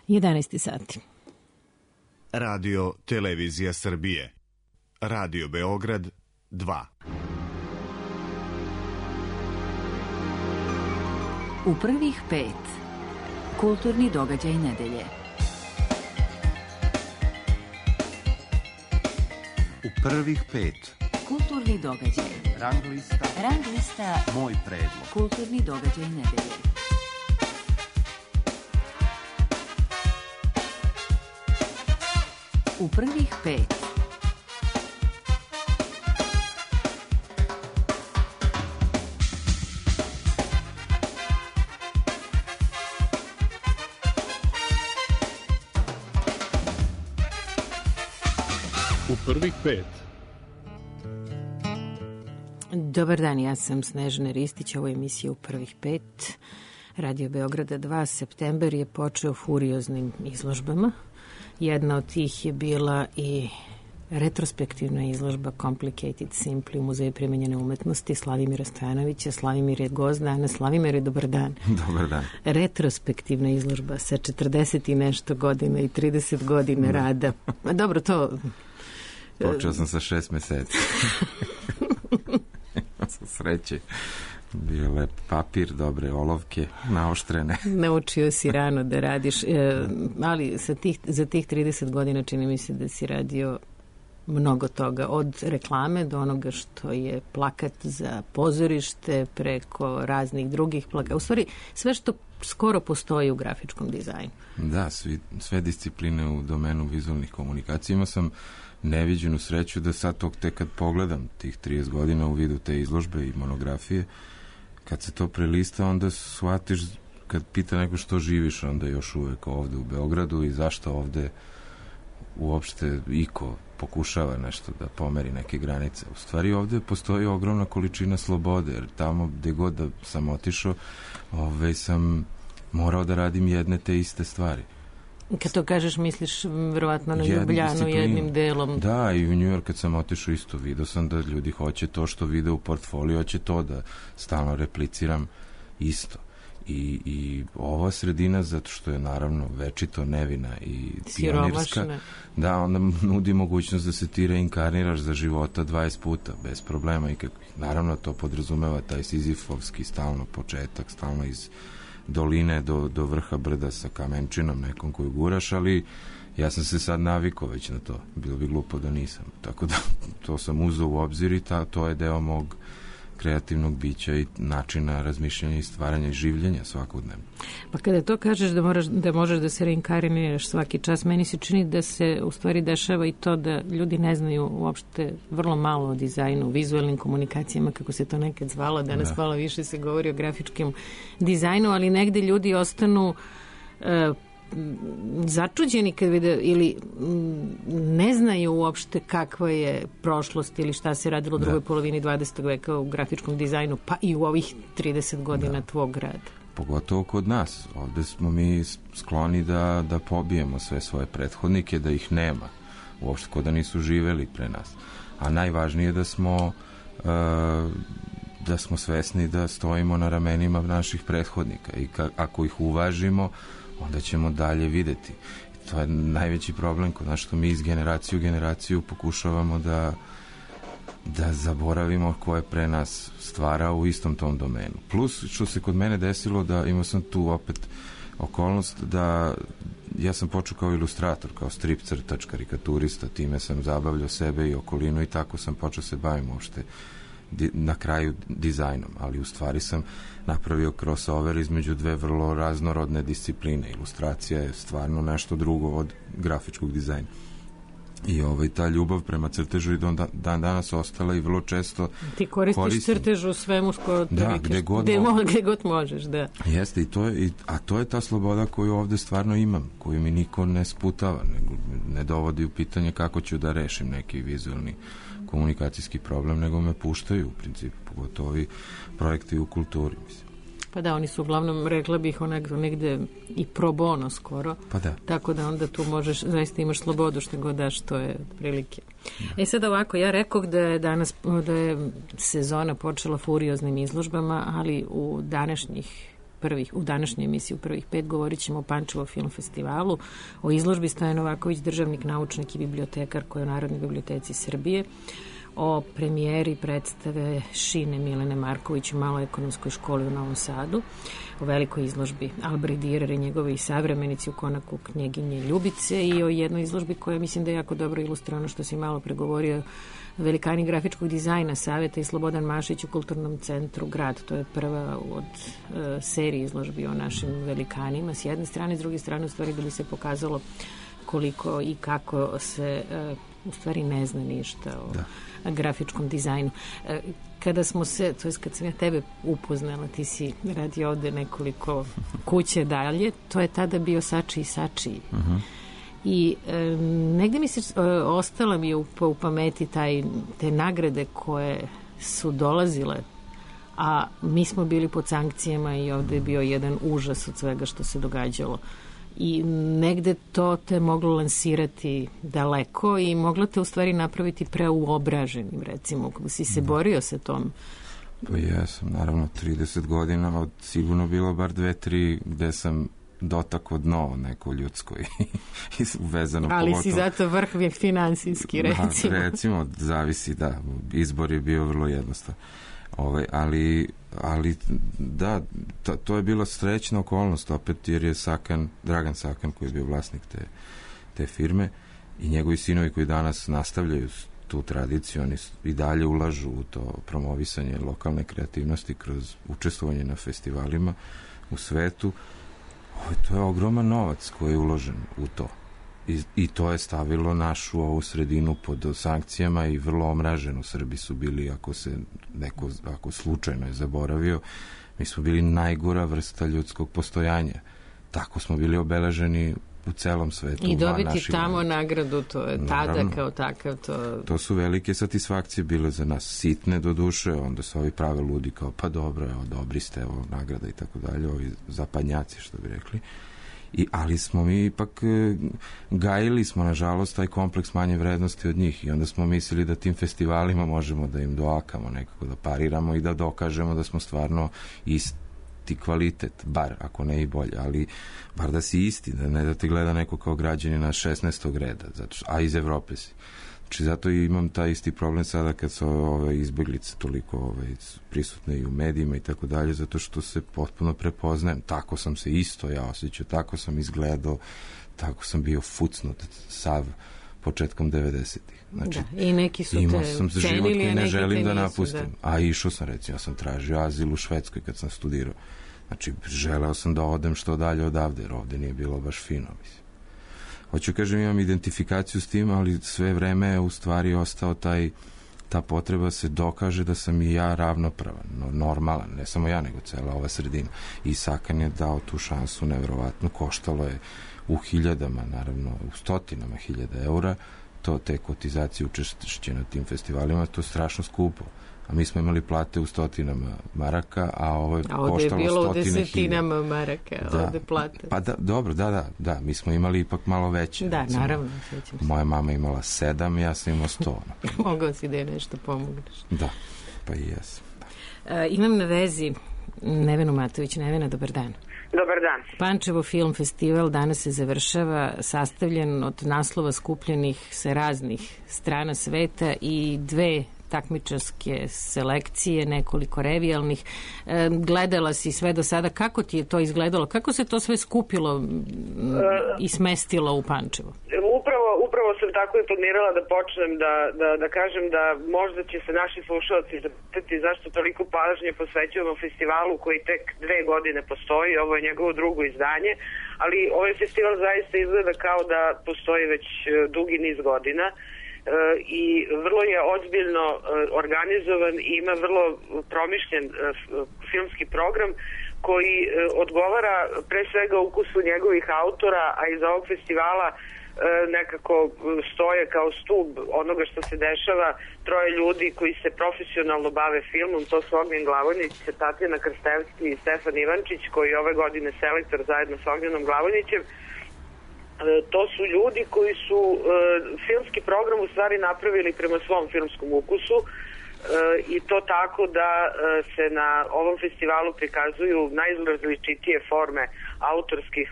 11 sati. Radio Televizija Srbije. Radio Beograd 2. U prvih 5. Kulturni događaj nedelje. U prvih 5. Kulturni događaj. Rang lista. Moj predlog. Kulturni događaj nedelje. U prvih 5. U prvih 5. Dobar dan, ja sam Snežana Ristić, ovo je emisija U prvih 5. Radio Beograda 2. September je počeo furioznim izložbama. Jedna od tih je bila i retrospektivna izložba Complicated Simply u Muzeju primenjene umetnosti Slavimira Stojanovića. Slavimir je gost danas. Slavimir, dobar dan. Dobar dan. Retrospektivna izložba sa 40 i nešto godina i 30 godina rada. Dobro, to... Počeo sam sa 6 meseci. Sa sreće. Bio lep papir, dobre olovke, naoštrene. Naučio si rano da radiš, ali za tih 30 godina čini mi se da si radio mnogo toga, od reklame do onoga što je plakat za pozorište, preko raznih drugih plakata. U stvari, sve što skoro postoji u grafičkom dizajnu. Da, sve discipline u domenu vizualnih komunikacija. Imao sam neviđenu sreću da sad tek kad pogledam tih 30 godina u vidu te izložbe i monografije, kad se to prelista, onda shvatiš, kad pita neko što živiš, onda još uvek ovde u Beogradu i zašto ovde uopšte iko pokušava nešto da pomeri neke granice. U stvari ovde postoji ogromna količina slobode, jer tamo gde god da sam otišao, sam morao da radim jedne te iste stvari. Kad to kažeš, misliš verovatno na Ljubljanu jednim delom. Da, i u New York kad sam otišao isto, vidio sam da ljudi hoće to što vide u portfoliju, hoće to da stalno repliciram isto. I ova sredina, zato što je naravno večito nevina i pionirska, da, onda nudi mogućnost da se ti reinkarniraš za života 20 puta, bez problema. I naravno to podrazumeva taj sizifovski stalno početak, stalno iz doline do vrha brda sa kamenčinom nekom koju guraš, ali ja sam se sad navikao već na to. Bilo bi glupo da nisam. Tako da to sam uzeo u obzir i to je deo mog kreativnog bića i načina razmišljanja i stvaranja i življenja svakodnevno. Pa kada to kažeš da možeš da se reinkarniraš svaki čas, meni se čini da se u stvari dešava i to da ljudi ne znaju uopšte vrlo malo o dizajnu, vizualnim komunikacijama, kako se to nekad zvalo, danas malo više se govori o grafičkim dizajnu, ali negde ljudi ostanu začuđeni kad vide ili ne znaju uopšte kakva je prošlost ili šta se radilo u drugoj polovini 20. veka u grafičkom dizajnu, pa i u ovih 30 godina tvog rada. Pogotovo kod nas. Ovde smo mi skloni da pobijemo sve svoje prethodnike, da ih nema. Uopšte kod da nisu živeli pre nas. A najvažnije je da smo svesni da stojimo na ramenima naših prethodnika i ako ih uvažimo, onda ćemo dalje videti. To je najveći problem kod nas, što mi iz generacije u generaciju pokušavamo da zaboravimo ko je pre nas stvarao u istom tom domenu. Plus, što se kod mene desilo, da imao sam tu opet okolnost da ja sam počeo kao ilustrator, kao strip crtač, karikaturista, time sam zabavljao sebe i okolinu i tako sam počeo se bavim uopšte na kraju dizajnom, ali u stvari sam napravio crossover između dve vrlo raznorodne discipline. Ilustracija je stvarno nešto drugo od grafičkog dizajna. I ta ljubav prema crtežu i dan danas ostala i vrlo često ti koristiš crtež u svemu skoro gde god možeš, da. Jeste, a to je ta sloboda koju ovde stvarno imam, koju mi niko ne sputava, ne dovodi u pitanje kako ću da rešim neki vizualni komunikacijski problem, nego me puštaju u principu, pogotovo ovi projekti u kulturi, mislim. Pa da, oni su uglavnom, rekla bih, onako negde i pro bono skoro. Pa da. Tako da onda tu možeš, zaista imaš slobodu što god daš, to je prilike. Da. Sad ovako, ja rekoh da je danas, da je sezona počela furioznim izložbama, ali u današnjih u današnjoj emisiji u prvih 5 govorit ćemo o Pančevo film festivalu, o izložbi Stojan Novaković, državnik, naučnik i bibliotekar koji je u Narodnoj biblioteci Srbije, o premijeri predstave Šine Milene Marković u Maloj ekonomskoj školi u Novom Sadu, o velikoj izložbi Albrecht Dürer i njegovi savremenici u konaku knjeginje Ljubice i o jednoj izložbi koja mislim da je jako dobro ilustrirano što si malo pregovorio, velikani grafičkog dizajna Saveta i Slobodan Mašić u Kulturnom centru Grad. To je prva od serije izložbi o našim velikanima s jedne strane, s druge strane u stvari da bi se pokazalo koliko i kako se u stvari ne zna ništa o grafičkom dizajnu. Kada smo se, to je kad sam ja tebe upoznala, ti si radi ovde nekoliko kuće dalje, to je tada bio Sači i Sači. I negde mi se ostala mi u pameti te nagrade koje su dolazile, a mi smo bili pod sankcijama i ovde je bio jedan užas od svega što se događalo. I negde to te moglo lansirati daleko i moglo te u stvari napraviti preuobraženim, recimo, kako si se borio sa tom. Pa jesam, naravno 30 godina, od sigurno bilo bar 2-3 gde sam dotakao dno neko ljudsko i vezano ali pogotovo. Si zato vrh finansijski, recimo. Da, recimo, zavisi, da, izbor je bio vrlo jednostavan. Ali da, to je bila srećna okolnost opet, jer je Dragan Sakan, koji je bio vlasnik te firme, i njegovi sinovi koji danas nastavljaju tu tradiciju, oni i dalje ulažu u to promovisanje lokalne kreativnosti kroz učestvovanje na festivalima u svetu. To je ogroman novac koji je uložen u to. I to je stavilo našu ovu sredinu pod sankcijama i vrlo omraženo. Srbi su bili, ako slučajno je zaboravio, mi smo bili najgora vrsta ljudskog postojanja. Tako smo bili obeleženi u celom svetu. I dobiti tamo nagradu, to je tada kao takav. To su velike satisfakcije bile za nas, sitne do duše, onda su ovi prave ludi kao, pa dobro, evo, dobri ste, evo, nagrada i tako dalje, ovi zapadnjaci, što bi rekli. Ali smo mi ipak gajili smo, nažalost, taj kompleks manje vrednosti od njih i onda smo mislili da tim festivalima možemo da im doakamo nekako, da pariramo i da dokažemo da smo stvarno isti kvalitet, bar, ako ne i bolje, ali bar da si isti, da ne da te gleda neko kao građanina 16. reda, a iz Evrope si. Znači, zato i imam taj isti problem sada kad su ove izbeglice toliko prisutne i u medijima i tako dalje, zato što se potpuno prepoznajem. Tako sam se isto ja osjećao, tako sam izgledao, tako sam bio fucnut sav početkom 90-ih. Znači, da, i neki su imao sam život koji ne želim da napustim. Da. A išao sam, recimo, ja sam tražio azil u Švedskoj kad sam studirao. Znači, želeo sam da odem što dalje odavde, jer ovde nije bilo baš fino, mislim. Hoću kažem, imam identifikaciju s tim, ali sve vreme je u stvari ostao ta potreba se dokaže da sam i ja ravnopravan, normalan, ne samo ja, nego cela ova sredina. I Sakan je dao tu šansu, nevjerovatno, koštalo je u hiljadama, naravno, u stotinama hiljada eura, te kotizacije učešće na tim festivalima, to je strašno skupo. A mi smo imali plate u stotinama maraka, a ovo je koštalo stotine hiljada. A ovde je bilo u desetinama maraka, ovde plate. Pa da, dobro, da, mi smo imali ipak malo veće. Da, recimo, naravno. Moja mama imala 7, ja sam imao 100. Mogao si da je nešto pomogneš. Da, pa i jesam. Da. Imam na vezi Nevenu Matović. Nevena, dobar dan. Dobar dan. Pančevo film festival danas se završava, sastavljen od naslova skupljenih sa raznih strana sveta i 2 takmičarske selekcije, nekoliko revijalnih. Gledala si sve do sada. Kako ti je to izgledalo? Kako se to sve skupilo i smestilo u Pančevo? Upravo sam tako i planirala da počnem da kažem da možda će se naši slušalci zapitati zašto toliko pažnje posvećujemo festivalu koji tek 2 godine postoji. Ovo je njegovo drugo izdanje, ali ovaj festival zaista izgleda kao da postoji već dugi niz godina. I vrlo je ozbiljno organizovan i ima vrlo promišljen filmski program koji odgovara pre svega ukusu njegovih autora, a iz ovog festivala nekako stoje kao stub onoga što se dešava 3 ljudi koji se profesionalno bave filmom. To su Ognjen Glavonić, Tatjana Krstevski i Stefan Ivančić, koji je ove godine selektor zajedno sa Ognjenom Glavonićem. To su ljudi koji su filmski program u stvari napravili prema svom filmskom ukusu. i to tako da se na ovom festivalu prikazuju najrazličitije forme autorskih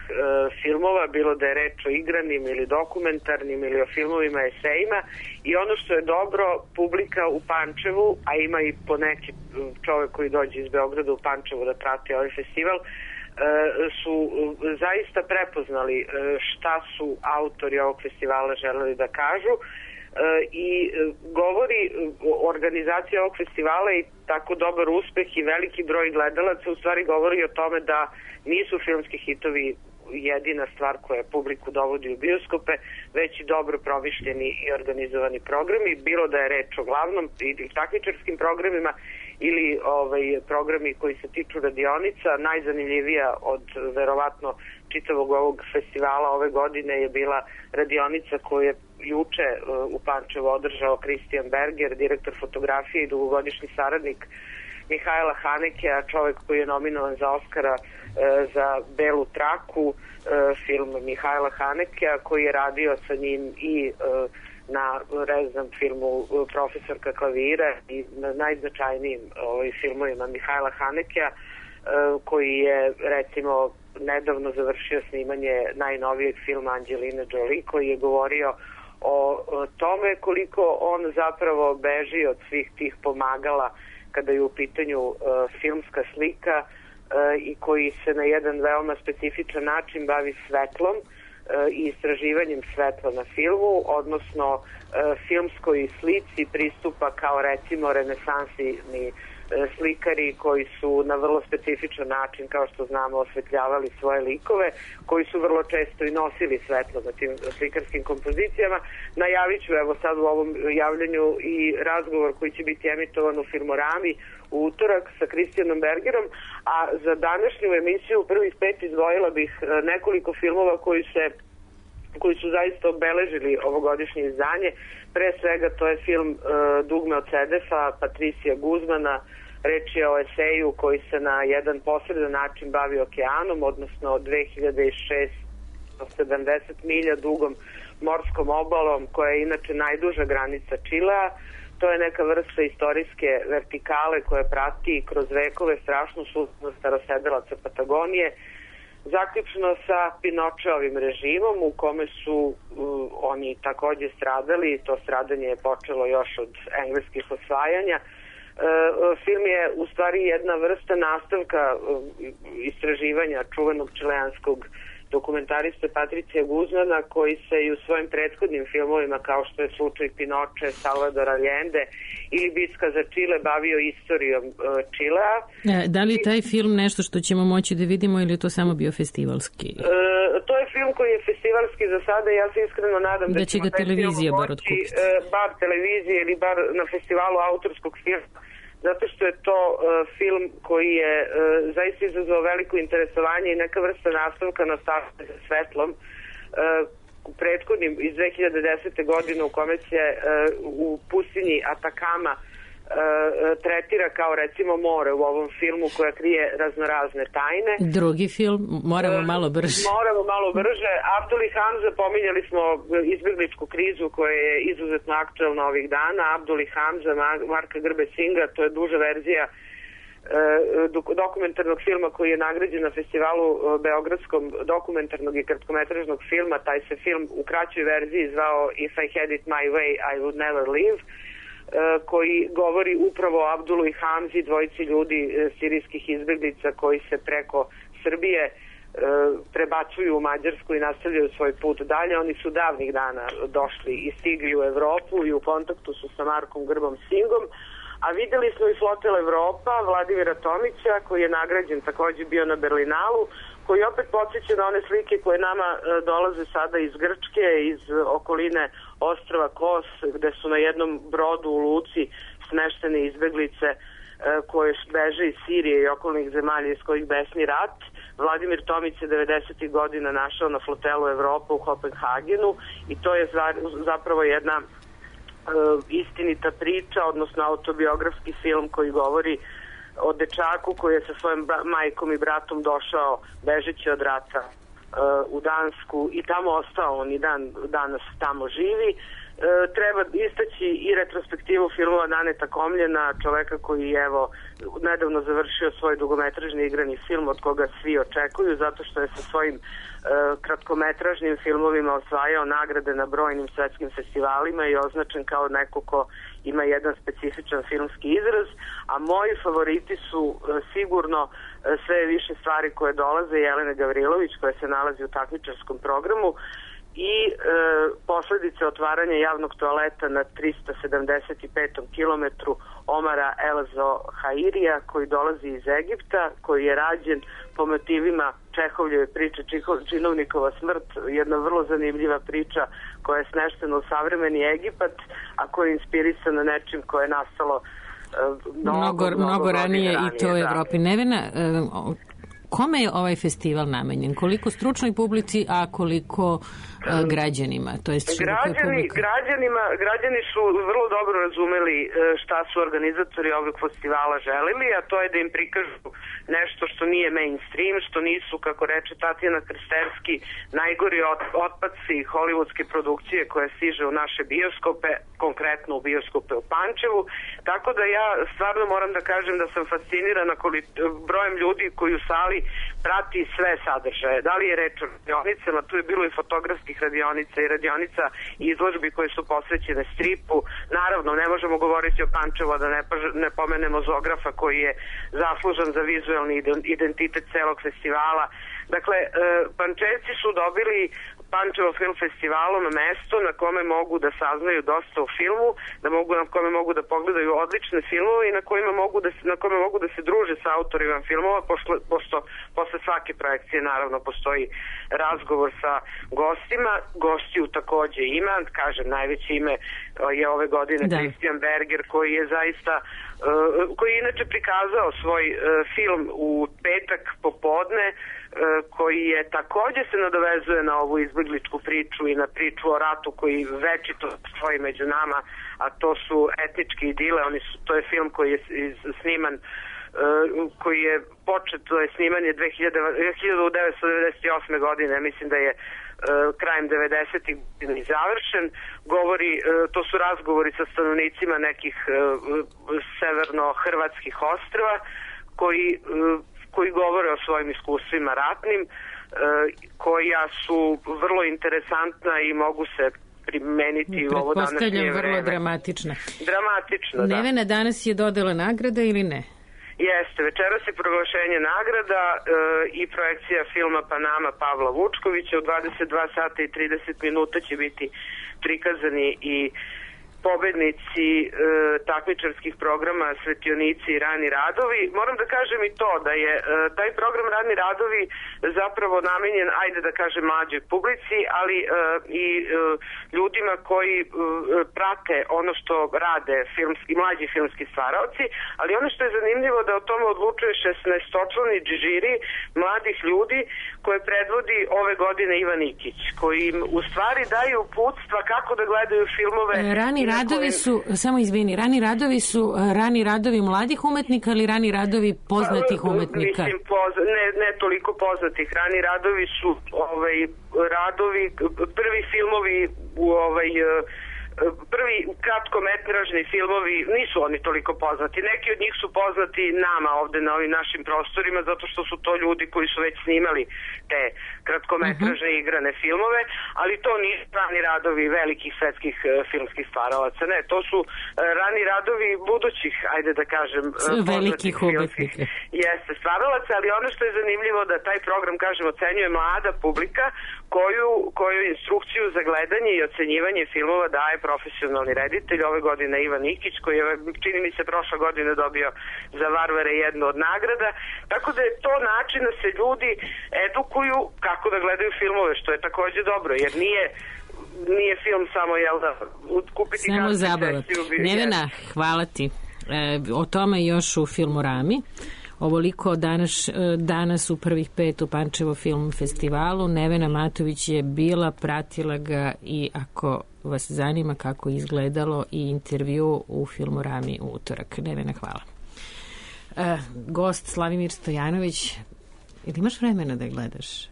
filmova, bilo da je reč o igranim ili dokumentarnim ili o filmovima, esejima, i ono što je dobro, publika u Pančevu, a ima i po neki čovek koji dođe iz Beograda u Pančevu da prati ovaj festival, su zaista prepoznali šta su autori ovog festivala želeli da kažu, i govori organizacija ovog festivala i tako dobar uspeh i veliki broj gledalaca u stvari govori o tome da nisu filmski hitovi jedina stvar koja publiku dovodi u bioskope, već i dobro promišljeni i organizovani programi, bilo da je reč o glavnom i takmičarskim programima ili programi koji se tiču radionica. Najzanimljivija od verovatno čitavog ovog festivala ove godine je bila radionica koju je juče u Pančevu održao Kristijan Berger, direktor fotografije i dugogodišnji saradnik Mihajla Hanekea, čovek koji je nominovan za Oskara za Belu traku, film Mihajla Hanekea, koji je radio sa njim i na filmu Profesorka klavira i na najznačajnijim filmovima Mihajla Hanekea, koji je recimo nedavno završio snimanje najnovijeg filma Angelina Jolie, koji je govorio o tome koliko on zapravo beži od svih tih pomagala kada je u pitanju filmska slika, i koji se na jedan veoma specifičan način bavi svetlom i istraživanjem svetla na filmu, odnosno filmskoj slici pristupa kao recimo renesansni slikari koji su na vrlo specifičan način, kao što znamo, osvetljavali svoje likove, koji su vrlo često i nosili svetlo na tim slikarskim kompozicijama. Najavit ću evo sad u ovom javljanju i razgovor koji će biti emitovan u Filmorami u utorak sa Kristijanom Bergerom, a za današnju emisiju prvih 5 izdvojila bih nekoliko filmova koji su zaista obeležili ovogodišnje izdanje. Pre svega to je film Dugme od Sedefa, Patricija Guzmana. Reč je o eseju koji se na jedan posredan način bavi okeanom, odnosno 2670 milja dugom morskom obalom, koja je inače najduža granica Čilea. To je neka vrsta istorijske vertikale koja prati kroz vekove strašnu sudbinu starosedelaca Patagonije, zaključno sa Pinočeovim režimom u kome su oni takođe stradali. To stradanje je počelo još od engleskih osvajanja. Film je u stvari jedna vrsta nastavka istraživanja čuvenog čileanskog dokumentariste Patricija Guzmana, koji se i u svojim prethodnim filmovima, kao što je slučaj Pinoče, Salvador Allende ili Bitka za Čile, bavio istorijom Čilea. Da li je taj film nešto što ćemo moći da vidimo ili je to samo bio festivalski? To je film koji je festivalski za sada. Ja se iskreno nadam da će ga televizija bar otkupiti. Bar televizije ili bar na festivalu autorskog filma, zato što je to film koji je zaista izazvao veliko interesovanje i neka vrsta nastavka na stavke sa svetlom prethodnim iz 2010. godine, u kome se u pustinji Atakama tretira kao recimo more u ovom filmu, koja krije raznorazne tajne. Drugi film, moramo malo brže. Moramo malo brže. Abdul i Hamza, pominjali smo izbjegličku krizu koja je izuzetno aktuelna ovih dana. Abdul i Hamza, Marka Grbe Singa, to je duža verzija dokumentarnog filma koji je nagrađen na festivalu beogradskom dokumentarnog i kratkometražnog filma. Taj se film u kraćoj verziji zvao If I Had It My Way, I Would Never Live, koji govori upravo o Abdulu i Hamzi, dvojici ljudi sirijskih izbjeglica koji se preko Srbije prebacuju u Mađarsku i nastavljaju svoj put dalje. Oni su davnih dana došli i stigli u Evropu i u kontaktu su sa Markom Grbom Singom, a videli smo i Flotel Evropa Vladimira Tomića, koji je nagrađen, takođe bio na Berlinalu, koji opet podsjeća na one slike koje nama dolaze sada iz Grčke, iz okoline ostrva Kos, gde su na jednom brodu u luci smeštene izbeglice koje beže iz Sirije i okolnih zemalja iz kojih besni rat. Vladimir Tomić je 90. godina našao na Flotelu Evropa u Kopenhagenu i to je zapravo jedna istinita priča, odnosno autobiografski film koji govori o dečaku koji je sa svojom majkom i bratom došao bežeći od rata u Dansku i tamo ostao, on i danas tamo živi. Treba istaći i retrospektivu filmova Daneta Komljena, čoveka koji je nedavno završio svoj dugometražni igrani film od koga svi očekuju, zato što je sa svojim kratkometražnim filmovima osvajao nagrade na brojnim svetskim festivalima i označen kao neko ko ima jedan specifičan filmski izraz, a moji favoriti su sigurno Sve više stvari koje dolaze Jelene Gavrilović, koja se nalazi u takmičarskom programu, i posledice otvaranja javnog toaleta na 375. kilometru Omara Elazo Hairija, koji dolazi iz Egipta, koji je rađen po motivima Čehovljeve priče Činovnikova smrt, jedna vrlo zanimljiva priča koja je smeštena u savremeni Egipat, a koja je inspirisana nečim koje je nastalo mnogo ranije i to u Evropi. Nevena, kome je ovaj festival namenjen? Koliko stručnoj publici, a koliko građanima? To jest građani su vrlo dobro razumeli šta su organizatori ovog festivala želili, a to je da im prikažu nešto što nije mainstream, što nisu, kako reče Tatjana Krsterski, najgori otpadci hollywoodske produkcije koje stiže u naše bioskope, konkretno u bioskope u Pančevu. Tako da ja stvarno moram da kažem da sam fascinirana brojem ljudi koji u sali prati sve sadržaje. Da li je reč o radionicama, tu je bilo i fotografskih radionica i radionica i izložbi koje su posvećene stripu. Naravno, ne možemo govoriti o Pančevu, a da ne pomenemo Zografa koji je zaslužan za vizuelni identitet celog festivala. Dakle, Pančevci su dobili Pančevo film festivalom mesto na kome mogu da saznaju dosta o filmu, na kome mogu da pogledaju odlične filmove i na kome mogu da se druže sa autorima filmova, pošto posle svake projekcije naravno postoji razgovor sa gostima. Gostiju takođe ima, kažem, najveće ime je ove godine Christian Berger, koji je zaista koji je inače prikazao svoj film u petak popodne, koji je takođe se nadovezuje na ovu izbegličku priču i na priču o ratu koji večito stoji među nama, a to su etnički idile. To je film koji je sniman, koji je počet, to je snimanje 1998. godine, mislim da je krajem 90-ih i završen. To su razgovori sa stanovnicima nekih severno-hrvatskih ostrva koji govore o svojim iskustvima ratnim, koja su vrlo interesantna i mogu se primeniti u ovo današnje vreme. Pretpostavljam vrlo dramatična. Dramatično, da. Nevena, danas je dodala nagrada ili ne? Jeste, večeras je proglašenje nagrada i projekcija filma Panama Pavla Vučkovića. U 22 sata i 30 minuta će biti prikazani i pobednici takmičarskih programa Svetionici i Rani radovi. Moram da kažem i to da je taj program Rani radovi zapravo namenjen, ajde da kažem, mlađoj publici, ali i ljudima koji prate ono što rade mlađi filmski stvaraoci, ali ono što je zanimljivo da o tome odlučuje 16-člani žiri mladih ljudi koje predvodi ove godine Ivan Ikić, koji im u stvari daju uputstva kako da gledaju filmove. Rani radovi su, samo izvini, rani radovi mladih umetnika ili rani radovi poznatih umetnika? Mislim, ne toliko poznatih. Rani radovi su radovi, prvi filmovi prvi kratkometražni filmovi, nisu oni toliko poznati. Neki od njih su poznati nama ovde na ovim našim prostorima, zato što su to ljudi koji su već snimali te kratkometražne igrane filmove, ali to nisu rani radovi velikih svetskih filmskih stvaralaca. Ne, to su rani radovi budućih, ajde da kažem, velikih umetnika. Jeste, stvaralaca, ali ono što je zanimljivo da taj program, kažem, ocenjuje mlada publika koju instrukciju za gledanje i ocenjivanje filmova daje profesionalni reditelj, ove godine Ivan Ikić, koji je, čini mi se, prošle godine dobio za Varvare jednu od nagrada. Tako da je to način da se ljudi edukuju kako da gledaju filmove, što je takođe dobro, jer nije film samo, kupiti samo zabava. Nevena, hvala ti. O tome još u Filmorami. Ovoliko danas u prvih 5 u Pančevo film festivalu. Nevena Matović je bila, pratila ga i ako vas zanima kako izgledalo i intervju u Filmorami u utorak. Nevena, hvala. Gost Slavimir Stojanović, ili imaš vremena da gledaš?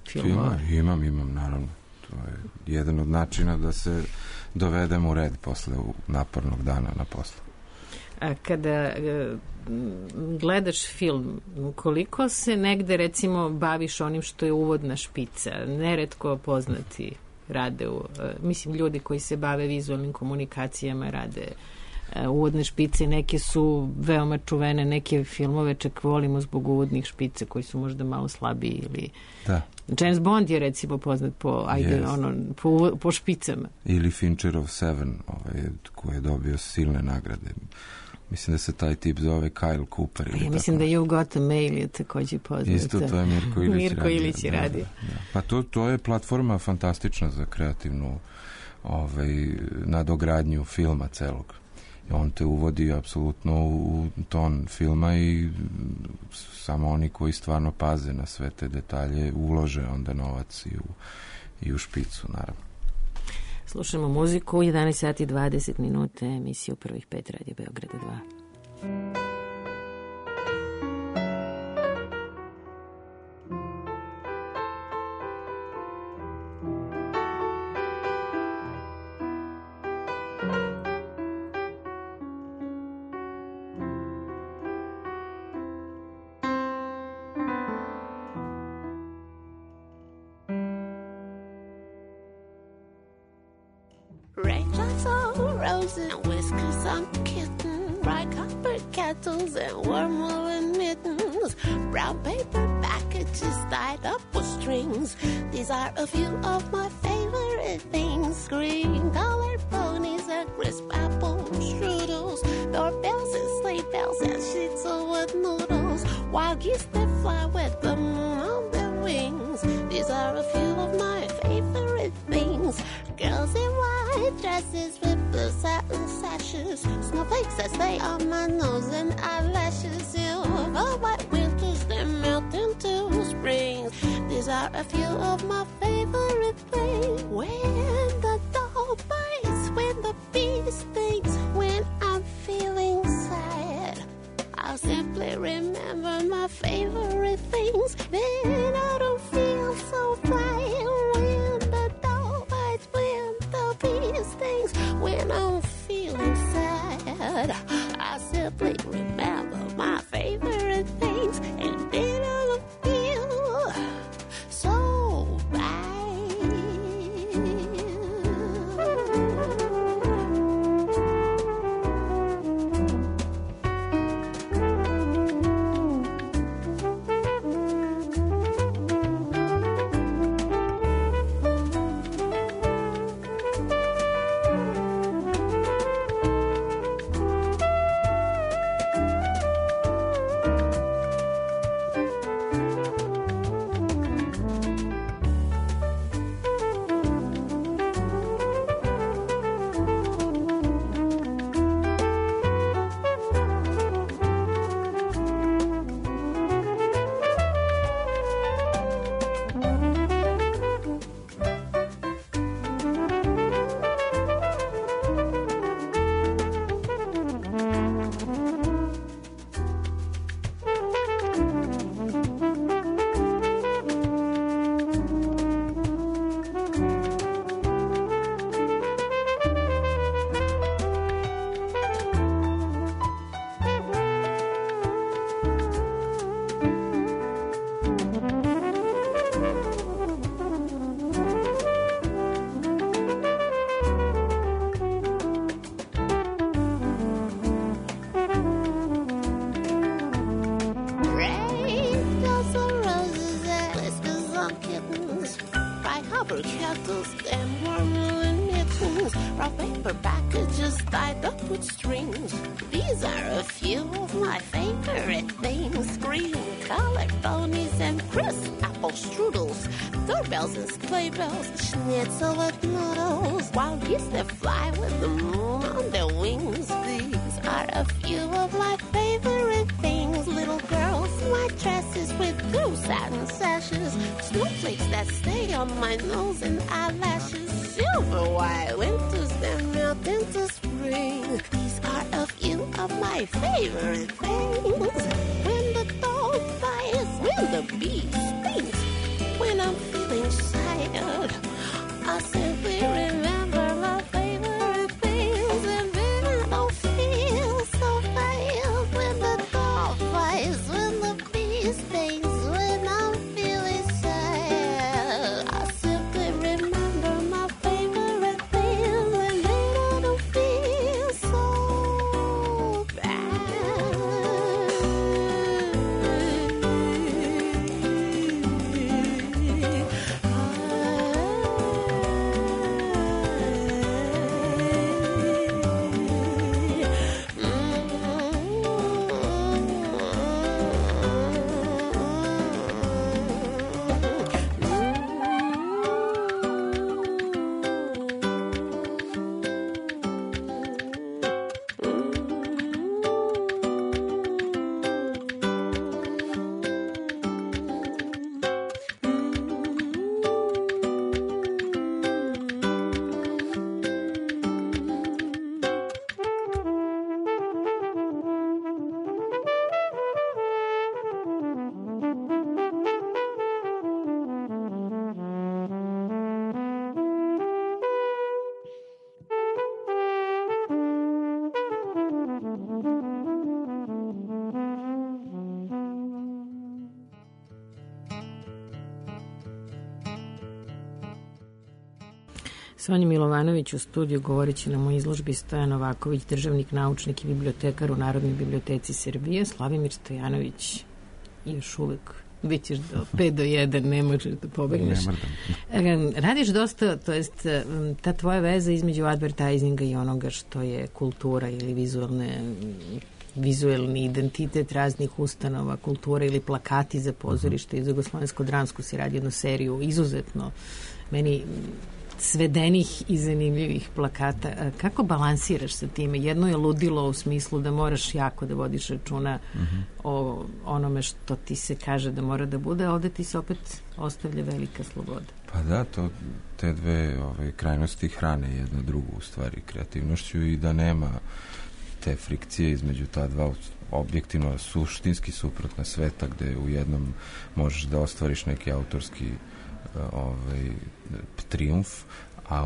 filmova? Imam, naravno. To je jedan od načina da se dovedemo u red posle napornog dana na poslu. A kada gledaš film, koliko se negde recimo baviš onim što je uvodna špica? Neretko poznati rade, mislim ljudi koji se bave vizualnim komunikacijama rade uvodne špice, neke su veoma čuvene, neke filmove čak volimo zbog uvodnih špica koji su možda malo slabiji ili... Da. James Bond je recimo poznat po špicama. Ili Fincherov Seven, koji je dobio silne nagrade. Mislim da se taj tip zove Kyle Cooper. Ja mislim da You Got a Mail je takođe poznat. Isto, to je Mirko Ilić je radio. Da. Pa to je platforma fantastična za kreativnu nadogradnju filma celog. On te uvodi apsolutno u ton filma i samo oni koji stvarno paze na sve te detalje ulože onda novac i u špicu, naravno. Slušamo muziku, 11 sati 20 minuta, emisiju Prvih 5 Radio Beograda 2. Raindrops on roses and whiskers on kitten, bright copper kettles and worm-woolen mittens, brown paper packages tied up with strings. These are a few of my favorite things: green-colored ponies and crisp apple strudels, doorbells and sleigh bells and schnitzel with noodles, wild geese that fly with the moon on their wings. These are a few of my favorite things: girls in white dresses with blue satin sashes, snowflakes that stay on my nose and eyelashes, silver white winters that melt into springs. These are a few of my favorite things: when the dog bites, when the bee stings, when I'm feeling sad, I'll simply remember my favorite things. Then I don't feel so bright. When the dog bites, when the bee stings, when I'm feeling sad, I simply remember my favorite things. And then I don't feel so bad. And sleigh bells, schnitzel with noodles, wild geese that fly with the moon on their wings. These are a few of my favorite things: little girls in white dresses with blue satin sashes, snowflakes that stay on my nose and eyelashes, silver white winters that melt into spring. These are a few of my favorite things: when the dog bites, when the bee stings, when when I'm feeling sad. I simply remember my favorite things, and then I don't feel so bad when the dog fights, when the bee stings, when I'm feeling sad. I simply remember my favorite things, and then I don't feel so Sonja Milovanović u studiju govorit će nam o izložbi Stojan Novaković, državnik, naučnik i bibliotekar u Narodnoj biblioteci Srbije. Slavimir Stojanović još uvek bit ćeš do 5 do 1, ne možeš da pobegneš. Radiš dosta, to jest ta tvoja veza između advertisinga i onoga što je kultura ili vizuelni identitet raznih ustanova, kultura ili plakati za pozorište i za Jugoslovensko-dramsku si radi jednu seriju izuzetno meni svedenih i zanimljivih plakata. Kako balansiraš sa time? Jedno je ludilo u smislu da moraš jako da vodiš računa o onome što ti se kaže da mora da bude, a ovde ti se opet ostavlja velika sloboda. Pa da, te dve krajnosti hrane jedna drugu u stvari kreativnošću i da nema te frikcije između ta dva objektivno suštinski suprotna sveta gde u jednom možeš da ostvariš neki autorski trijumf, a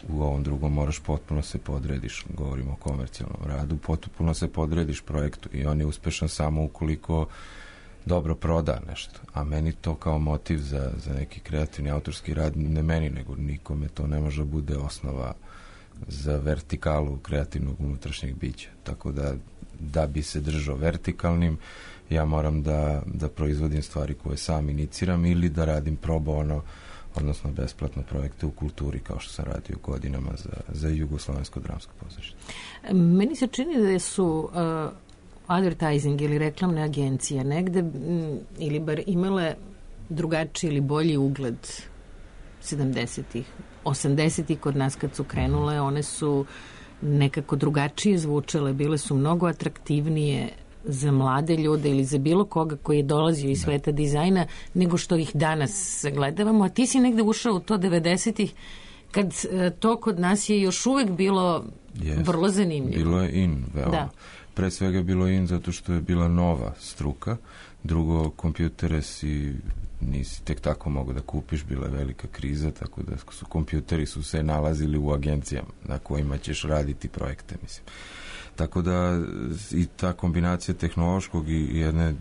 u ovom drugom moraš potpuno se podrediš, govorimo o komercijalnom radu, potpuno se podrediš projektu i on je uspešan samo ukoliko dobro proda nešto, a meni to kao motiv za neki kreativni autorski rad, ne meni nego nikome, to ne može bude osnova za vertikalu kreativnog unutrašnjeg bića, tako da bi se držao vertikalnim ja moram da proizvodim stvari koje sam iniciram ili da radim pro bono, odnosno besplatno projekte u kulturi kao što sam radio godinama za Jugoslovensko dramsko pozorište. Meni se čini da su advertising ili reklamne agencije negde ili bar imale drugačiji ili bolji ugled 70-ih. 80-ih kod nas kad su krenule, one su nekako drugačije zvučale, bile su mnogo atraktivnije za mlade ljude ili za bilo koga koji je dolazio iz sveta dizajna nego što ih danas sagledavamo, a ti si negde ušao u to 90-ih kad to kod nas je još uvek bilo vrlo zanimljivo. Bilo je in, veoma. Da. Pre svega je bilo in zato što je bila nova struka, drugo, kompjutere nisi tek tako mogu da kupiš, bila je velika kriza, tako da kompjuteri su se nalazili u agencijama na kojima ćeš raditi projekte, mislim. Tako da i ta kombinacija tehnološkog i jedne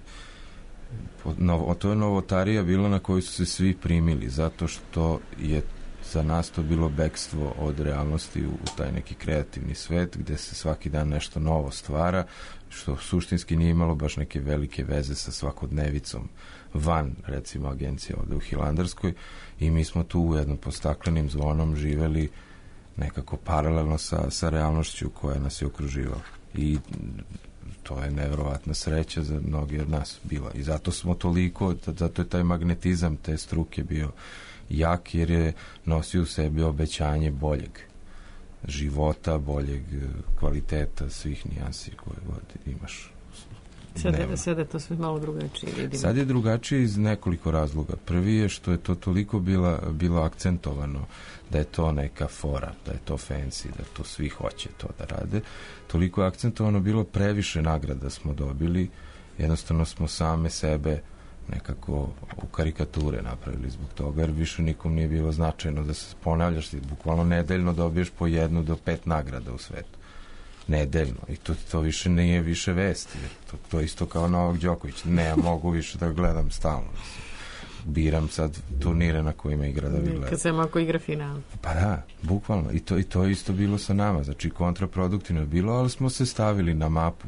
to je novotarija bila na koju su se svi primili, zato što je za nas to bilo bekstvo od realnosti u taj neki kreativni svet gde se svaki dan nešto novo stvara, što suštinski nije imalo baš neke velike veze sa svakodnevicom van, recimo, agencija ovde u Hilandarskoj, i mi smo tu u jednom pod staklenim zvonom živeli nekako paralelno sa realnošću koja nas je okruživala. I to je neverovatna sreća za mnogi od nas bila. I zato smo toliko, zato je taj magnetizam te struke bio jak, jer je nosio u sebi obećanje boljeg života, boljeg kvaliteta, svih nijansi koje god imaš. Sada to sve malo drugačije vidimo. Sad je drugačije iz nekoliko razloga. Prvi je što je to toliko bilo akcentovano da je to neka fora, da je to fancy, da to svi hoće to da rade. Toliko je akcentovano bilo, previše nagrada smo dobili, jednostavno smo same sebe nekako u karikature napravili zbog toga, jer više nikom nije bilo značajno da se ponavljaš, ti bukvalno nedeljno dobiješ po 1 do 5 nagrada u svetu. Nedeljno. I to više nije više vesti. To isto kao Novak Đoković. Ne, ja mogu više da gledam stalno. Biram sad turnire na kojima igra da bi gledam. Kad sam ako igra final. Pa da, bukvalno. I to je isto bilo sa nama. Znači, kontraproduktivno je bilo, ali smo se stavili na mapu.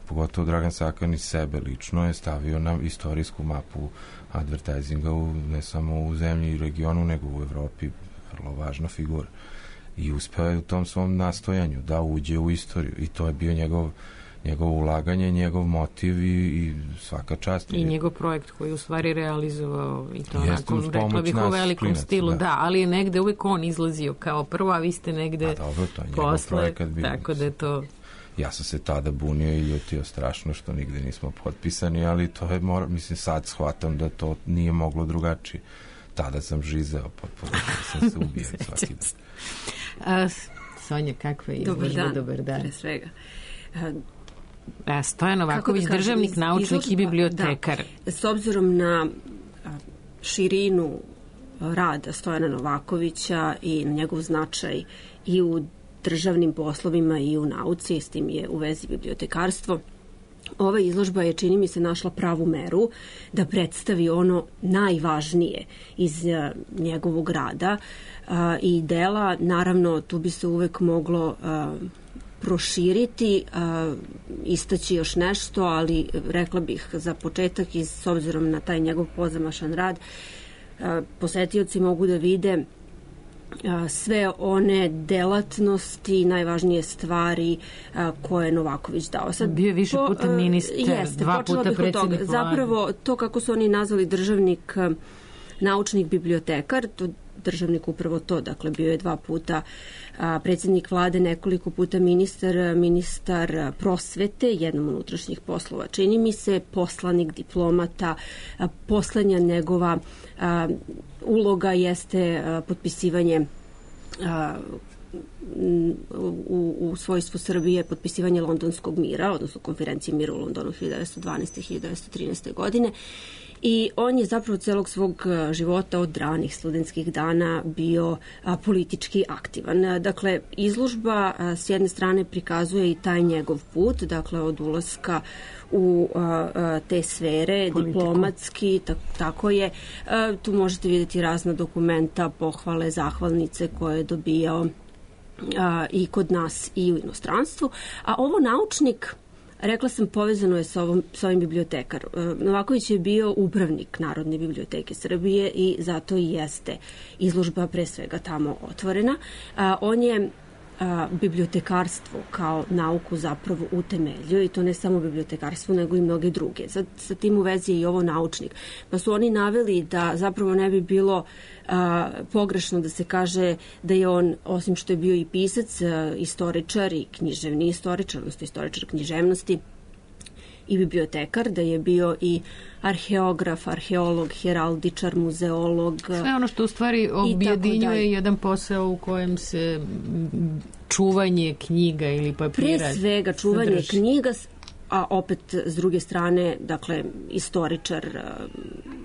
Pogotovo Dragan Sakan iz sebe lično je stavio na istorijsku mapu advertisinga ne samo u zemlji i regionu, nego u Evropi. Vrlo važna figura. I uspeo je u tom svom nastojanju da uđe u istoriju. I to je bio njegovo ulaganje, njegov motiv i svaka čast. I njegov projekt koji u stvari realizovao i to onako, rekla bih, u velikom stilu. Da, ali je negde uvek on izlazio kao prvo, a vi ste negde posle. Tako da je to... Ja sam se tada bunio i ljutio strašno što nigde nismo potpisani, ali to je, mislim, sad shvatam da to nije moglo drugačije. Tada sam žizeo potpuno, sam se ubio svaki dan. Sonja, kakva je izložba? Dobar dan. Pre svega. Stojan Novaković, državnik, naučnik i bibliotekar. Da, s obzirom na širinu rada Stojana Novakovića i na njegov značaj i u državnim poslovima i u nauci, s tim je u vezi bibliotekarstvo, ova izložba je, čini mi se, našla pravu meru da predstavi ono najvažnije iz njegovog rada i dela. Naravno, tu bi se uvek moglo proširiti, istaći još nešto, ali rekla bih za početak, i s obzirom na taj njegov pozamašan rad, posetioci mogu da vide sve one delatnosti, najvažnije stvari koje je Novaković dao. Sad, bio je više puta ministar, dva puta predsjednik vlade. Zapravo, to kako su oni nazvali državnik, naučnik, bibliotekar, to državnik upravo to, dakle bio je 2 puta predsjednik vlade, nekoliko puta ministar prosvete, jednom unutrašnjih poslova, čini mi se, poslanik, diplomata. Poslednja njegova uloga jeste potpisivanje u svojstvu Srbije, potpisivanje Londonskog mira, odnosno konferencije mira u Londonu 1912. i 1913. godine. I on je zapravo celog svog života od ranih studentskih dana bio politički aktivan. Dakle, izložba s jedne strane prikazuje i taj njegov put, dakle od ulaska u te sfere, politiku, diplomatski, tako je. Tu možete vidjeti razna dokumenta, pohvale, zahvalnice koje je dobijao i kod nas i u inostranstvu. A ovo naučnik, rekla sam, povezano je sa ovim bibliotekar. Novaković je bio upravnik Narodne biblioteke Srbije i zato i jeste izložba pre svega tamo otvorena. On je bibliotekarstvo kao nauku zapravo utemeljio, i to ne samo bibliotekarstvo, nego i mnoge druge. Sa tim u vezi je i ovo naučnik. Pa su oni naveli da zapravo ne bi bilo pogrešno da se kaže da je on, osim što je bio i pisac, istoričar i književni istoričar, odnosno istoričar književnosti i bibliotekar, da je bio i arheograf, arheolog, heraldičar, muzeolog. Sve ono što u stvari objedinjuje jedan posao u kojem se čuvanje knjiga ili papira pre svega čuvanje sadrži. Knjiga, a opet s druge strane, dakle, istoričar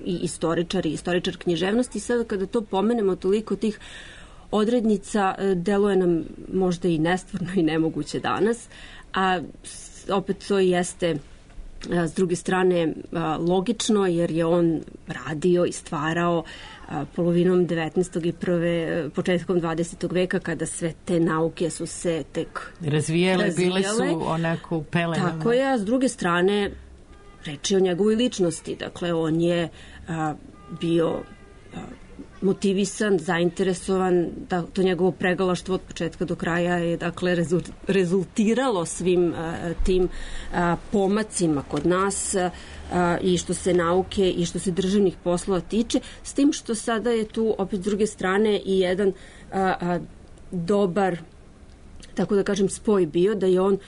i istoričar književnosti. Sada kada to pomenemo, toliko tih odrednica, deluje nam možda i nestvarno i nemoguće danas, a opet to jeste s druge strane logično, jer je on radio i stvarao polovinom 19. i početkom 20. veka, kada sve te nauke su se tek razvijele, bile su onako u pelenama. Tako je, a s druge strane reč je o njegovoj ličnosti. Dakle, on je bio motivisan, zainteresovan, da to njegovo pregalaštvo od početka do kraja je, dakle, rezultiralo svim tim pomacima kod nas i što se nauke i što se državnih poslova tiče, s tim što sada je tu opet s druge strane i jedan dobar tako da kažem, spoj bio da je on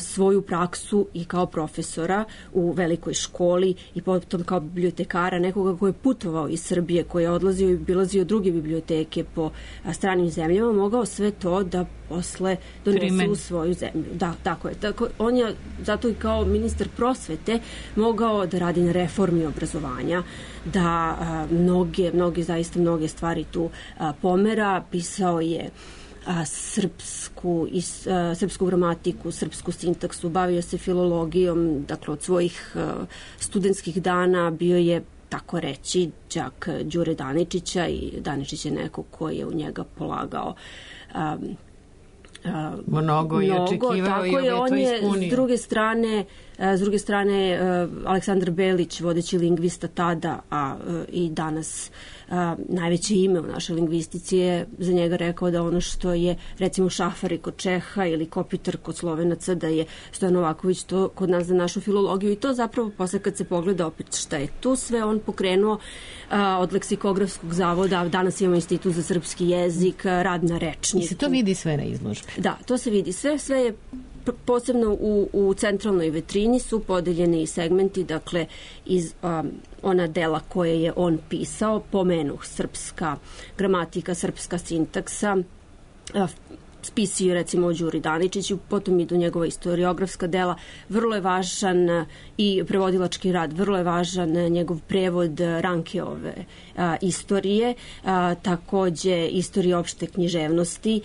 svoju praksu i kao profesora u velikoj školi i potom kao bibliotekara, nekoga koji je putovao iz Srbije, koji je odlazio i obilazio druge biblioteke po stranim zemljama, mogao sve to da posle donese u svoju zemlju. Da, tako je. Tako, on je zato i kao ministar prosvete mogao da radi na reformi obrazovanja, da zaista mnoge stvari tu pomera. Pisao je srpsku gramatiku, srpsku sintaksu, bavio se filologijom, dakle od svojih studentskih dana bio je, tako reći, đak Đure Daničića i Daničić je neko koji je u njega polagao mnogo i očekivao i on je to ispunio. S druge strane Aleksandar Belić, vodeći lingvista tada, i danas najveće ime u našoj lingvistici, je za njega rekao da ono što je recimo Šafari kod Čeha ili Kopitar kod Slovenaca, da je Stojan Novaković to kod nas za našu filologiju, i to zapravo posle kad se pogleda opet šta je tu sve on pokrenuo od Leksikografskog zavoda. Danas imamo Institut za srpski jezik, rad na rečniku. I se to vidi sve na izložbi? Da, to se vidi sve je posebno u centralnoj vitrini su podeljeni i segmenti, dakle iz ona dela koje je on pisao, pomenuh srpska gramatika, srpska sintaksa, spisi recimo o Đuri Daničiću, potom idu njegova istoriografska dela, vrlo je važan i prevodilački rad, vrlo je važan njegov prevod Rankeove istorije, takođe istorije opšte književnosti,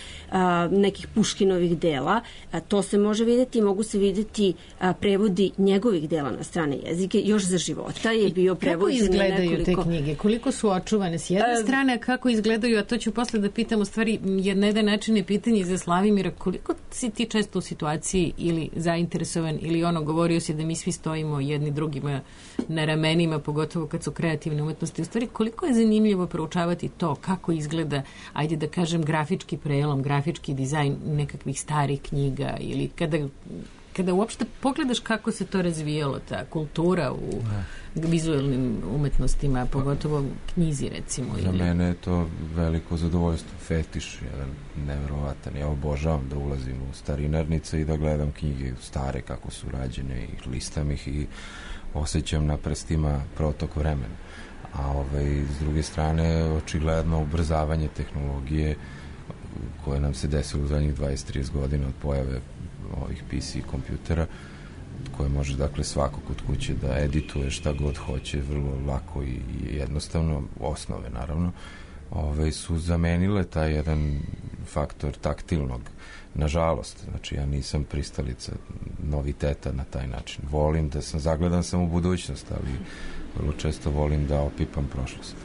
nekih Puškinovih dela. To se može videti, mogu se videti prevodi njegovih dela na strane jezike, još za života je bio prevođen. Kako izgledaju te knjige? Koliko su očuvane s jedne strane, kako izgledaju, a to ću posle da pitam, u stvari, na jedan način je pitanje za Slavimira, koliko si ti često u situaciji ili zainteresovan ili govorio si da mi svi stojimo jedni drugima na ramenima, pogotovo kad su kreativne umetnosti. U stvari, koliko je zanimljivo proučavati to, kako izgleda, ajde da kažem, grafički prelom, grafički dizajn nekakvih starih knjiga, ili kada uopšte pogledaš kako se to razvijalo, ta kultura u vizualnim umetnostima, pogotovo knjizi, recimo. Za mene je to veliko zadovoljstvo, fetiš, jedan neverovatan. Ja obožavam da ulazim u starinarnice i da gledam knjige stare, kako su rađene, i listam ih i osjećam na prstima protok vremena. A s druge strane, očigledno ubrzavanje tehnologije koje nam se desilo u zadnjih 20-30 godina od pojave ovih PC kompjutera, koje može, dakle, svako kod kuće da edituje šta god hoće, vrlo lako i jednostavno, osnove naravno, su zamenile taj jedan faktor taktilnog. Nažalost, znači ja nisam pristalica noviteta na taj način. Volim da zagledan sam u budućnost, ali vrlo često volim da opipam prošlost.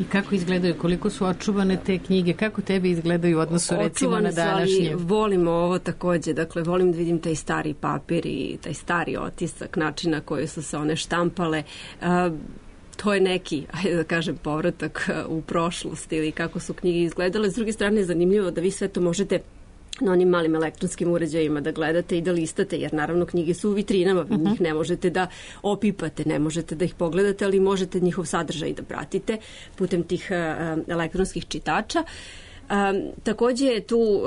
I kako izgledaju, koliko su očuvane te knjige, kako tebi izgledaju u odnosu recimo na današnje? Volimo ovo takođe, dakle volim da vidim taj stari papir i taj stari otisak, načina koji su se one štampale. To je neki, ajde da kažem, povratak u prošlost ili kako su knjige izgledale. S druge strane je zanimljivo da vi sve to možete na onim malim elektronskim uređajima da gledate i da listate, jer naravno knjige su u vitrinama, vi njih ne možete da opipate, ne možete da ih pogledate, ali možete njihov sadržaj da pratite putem tih elektronskih čitača. Takođe je tu,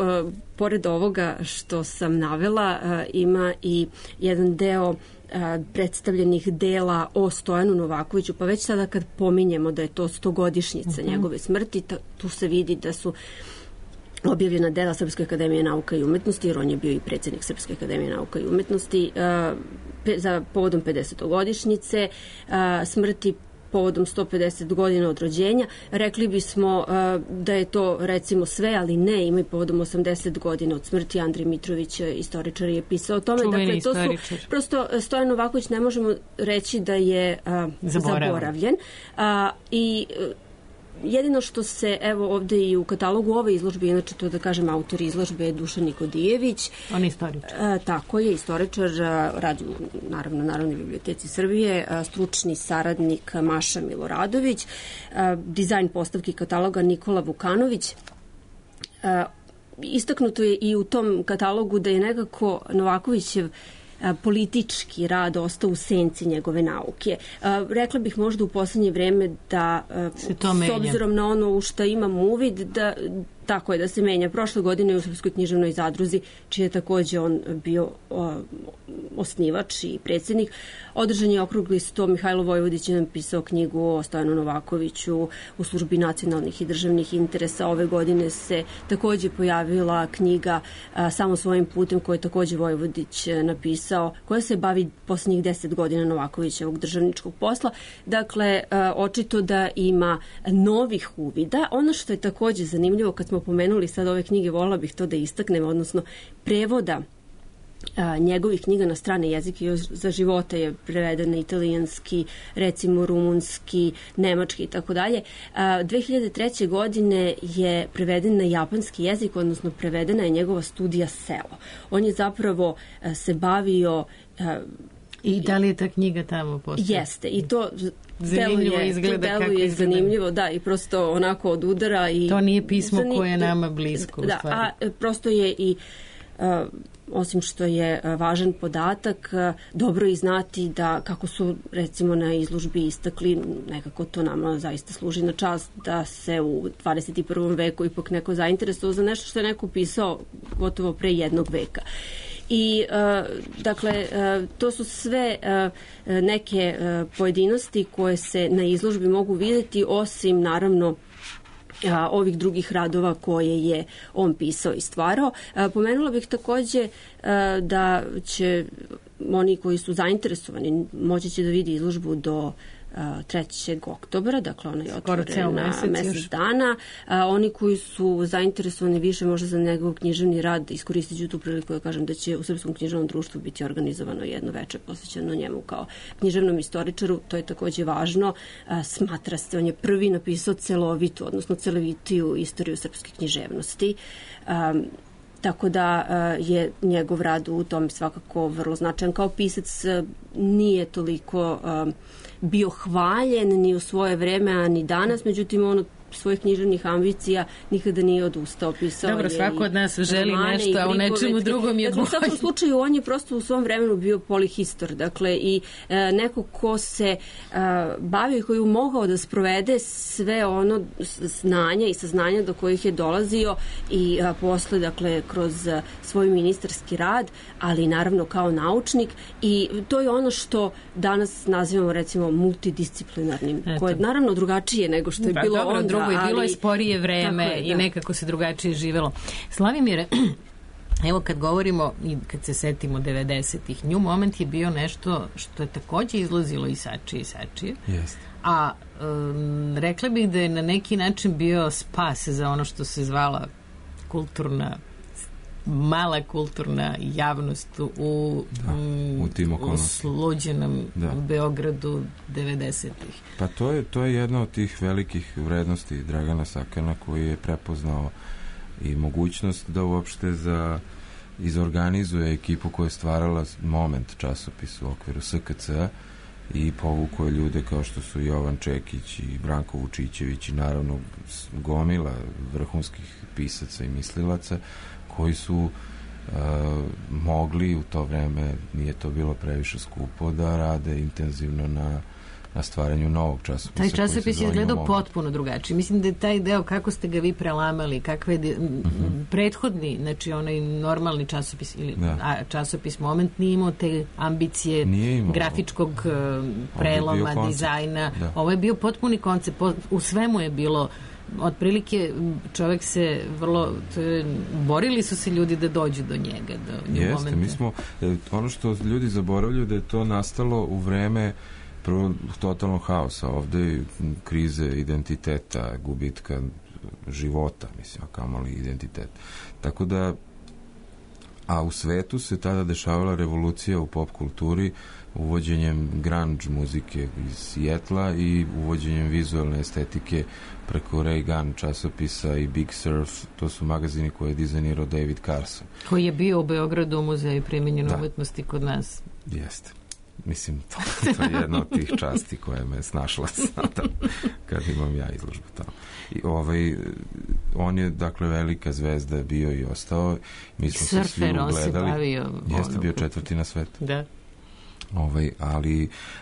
pored ovoga što sam navela, ima i jedan deo predstavljenih dela o Stojanu Novakoviću, pa već sada kad pominjemo da je to 100-godišnjica njegove smrti, tu se vidi da su objavljena dela Srpske akademije nauka i umetnosti, jer on je bio i predsjednik Srpske akademije nauka i umetnosti, za povodom 50-godišnjice smrti, povodom 150 godina od rođenja. Rekli bismo da je to recimo sve, ali ne, ima i povodom 80 godina od smrti. Andrej Mitrović, istoričar, je pisao o tome. Čuveni dakle, to istoričar. su, prosto Stojan Novaković ne možemo reći da je zaboravljen. I jedino što se, evo ovde i u katalogu ove izložbe, inače to da kažem, autor izložbe je Dušan Nikodijević. On je istoričar. Tako je, istoričar, radi naravno Narodnoj biblioteci Srbije, stručni saradnik Maša Miloradović, dizajn postavki kataloga Nikola Vukanović. Istaknuto je i u tom katalogu da je nekako Novakovićev politički rad ostao u senci njegove nauke. Rekla bih možda u poslednje vreme da, s obzirom na ono u što imam uvid, Tako je, da se menja. Prošle godine u Srpskoj književnoj zadruzi, čiji je takođe on bio osnivač i predsjednik, održan je okrugli sto. Mihajlo Vojvodić je napisao knjigu o Stojanu Novakoviću u službi nacionalnih i državnih interesa. Ove godine se takođe pojavila knjiga Samo svojim putem, koju je takođe Vojvodić napisao, koja se bavi poslednjih 10 godina Novakovićevog državničkog posla. Dakle, očito da ima novih uvida. Ono što je takođe zanimljivo, kad smo pomenuli sad ove knjige, volila bih to da istaknem, odnosno prevoda njegovih knjiga na strane jezike. Za života je preveden na italijanski, recimo rumunski, nemački i tako dalje. 2003. godine je preveden na japanski jezik, odnosno prevedena je njegova studija Selo. On je zapravo se I da li je ta knjiga tamo postoje? Jeste, i to deluje zanimljivo, da, i prosto onako od udara. I to nije pismo koje je nama blisko, da, u stvari. A prosto je i osim što je važan podatak, dobro je znati da, kako su recimo na izložbi istakli, nekako to nama zaista služi na čast, da se u 21. veku ipak neko zainteresovao za nešto što je neko pisao gotovo pre jednog veka. I, dakle, to su sve neke pojedinosti koje se na izložbi mogu vidjeti, osim, naravno, ovih drugih radova koje je on pisao i stvarao. Pomenula bih takođe da će oni koji su zainteresovani moći će da vidi izložbu do 3. oktobra, dakle ona je otvorena mesec dana. Oni koji su zainteresovani više možda za njegov književni rad, iskoristit ću tu priliku da kažem da će u Srpskom književnom društvu biti organizovano jedno veče posvećeno njemu kao književnom istoričaru. To je takođe važno. Smatra se, on je prvi napisao celovitu, odnosno celovitiju istoriju srpske književnosti. Tako da je njegov rad u tom svakako vrlo značajan. Kao pisac nije toliko bio hvaljen ni u svoje vreme, a ni danas, međutim on od svojih književnih ambicija nikada nije odustao, pisao. Dobro, svako od nas želi nešto, a u nečemu drugom je bolje. U svakom slučaju on je prosto u svom vremenu bio polihistor, dakle i neko ko se bavio i koji je mogao da sprovede sve ono znanja i saznanja do kojih je dolazio i posle, dakle, kroz svoj ministarski rad, ali naravno kao naučnik, i to je ono što danas nazivamo recimo multidisciplinarnim, koje je naravno drugačije nego što je bilo onda. I bilo je sporije vreme i nekako se drugačije živelo. Slavimire, evo kad govorimo i kad se setimo 90-ih, New Moment je bio nešto što je takođe izlazilo i sačije. Jeste. A rekla bih da je na neki način bio spas za ono što se zvala mala kulturna javnost u sluđenom Beogradu 90-ih. Pa to je jedna od tih velikih vrednosti Dragana Sakana, koji je prepoznao i mogućnost da uopšte izorganizuje ekipu koja je stvarala Moment časopis u okviru SKC-a i povukao ljude kao što su Jovan Čekić i Branko Vučićević i naravno gomila vrhunskih pisaca i mislilaca koji su mogli u to vreme, nije to bilo previše skupo, da rade intenzivno na stvaranju novog časopisa. Taj časopis je izgledao potpuno drugačije. Mislim da je taj deo, kako ste ga vi prelamali, kakve prethodni, znači onaj normalni časopis ili časopis Moment nije imao te ambicije grafičkog preloma, dizajna. Da. Ovo je bio potpuni koncept. U svemu je bilo otprilike, čovjek se borili su se ljudi da dođu do njega. Jeste, mi smo, ono što ljudi zaboravljaju da je to nastalo u vreme prvo totalnog haosa, ovde krize identiteta, gubitka života, mislim, a kamoli identitet. Tako da, a u svetu se tada dešavala revolucija u pop kulturi uvođenjem grunge muzike iz Sijetla i uvođenjem vizualne estetike preko Ray Gun časopisa i Big Surf, to su magazini koje je dizajnirao David Carson. Koji je bio u Beogradu u muzeju primenjene umetnosti kod nas. Jeste. Mislim, to je jedna od tih časti koja me snašla sada kad imam ja izložbu tamo. I on je, dakle, velika zvezda bio i ostao. Mi smo se svi ugledali. Jeste bio 4. na svetu. Da.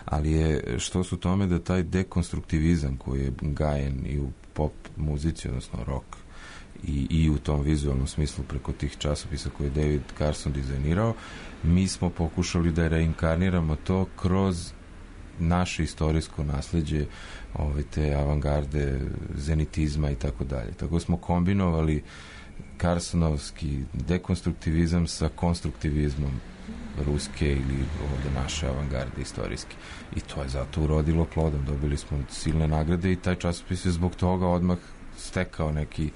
Ali je što su tome da taj dekonstruktivizam koji je gajen i u pop muzici, odnosno rock, i u tom vizualnom smislu preko tih časopisa koje je David Carson dizajnirao. Mi smo pokušali da reinkarniramo to kroz naše istorijsko nasleđe, te avangarde, zenitizma i tako dalje. Tako smo kombinovali Carsonovski dekonstruktivizam sa konstruktivizmom ruske ili ovde naše avangarde istorijske. I to je zato urodilo plodom. Dobili smo silne nagrade i taj časopis je zbog toga odmah stekao neki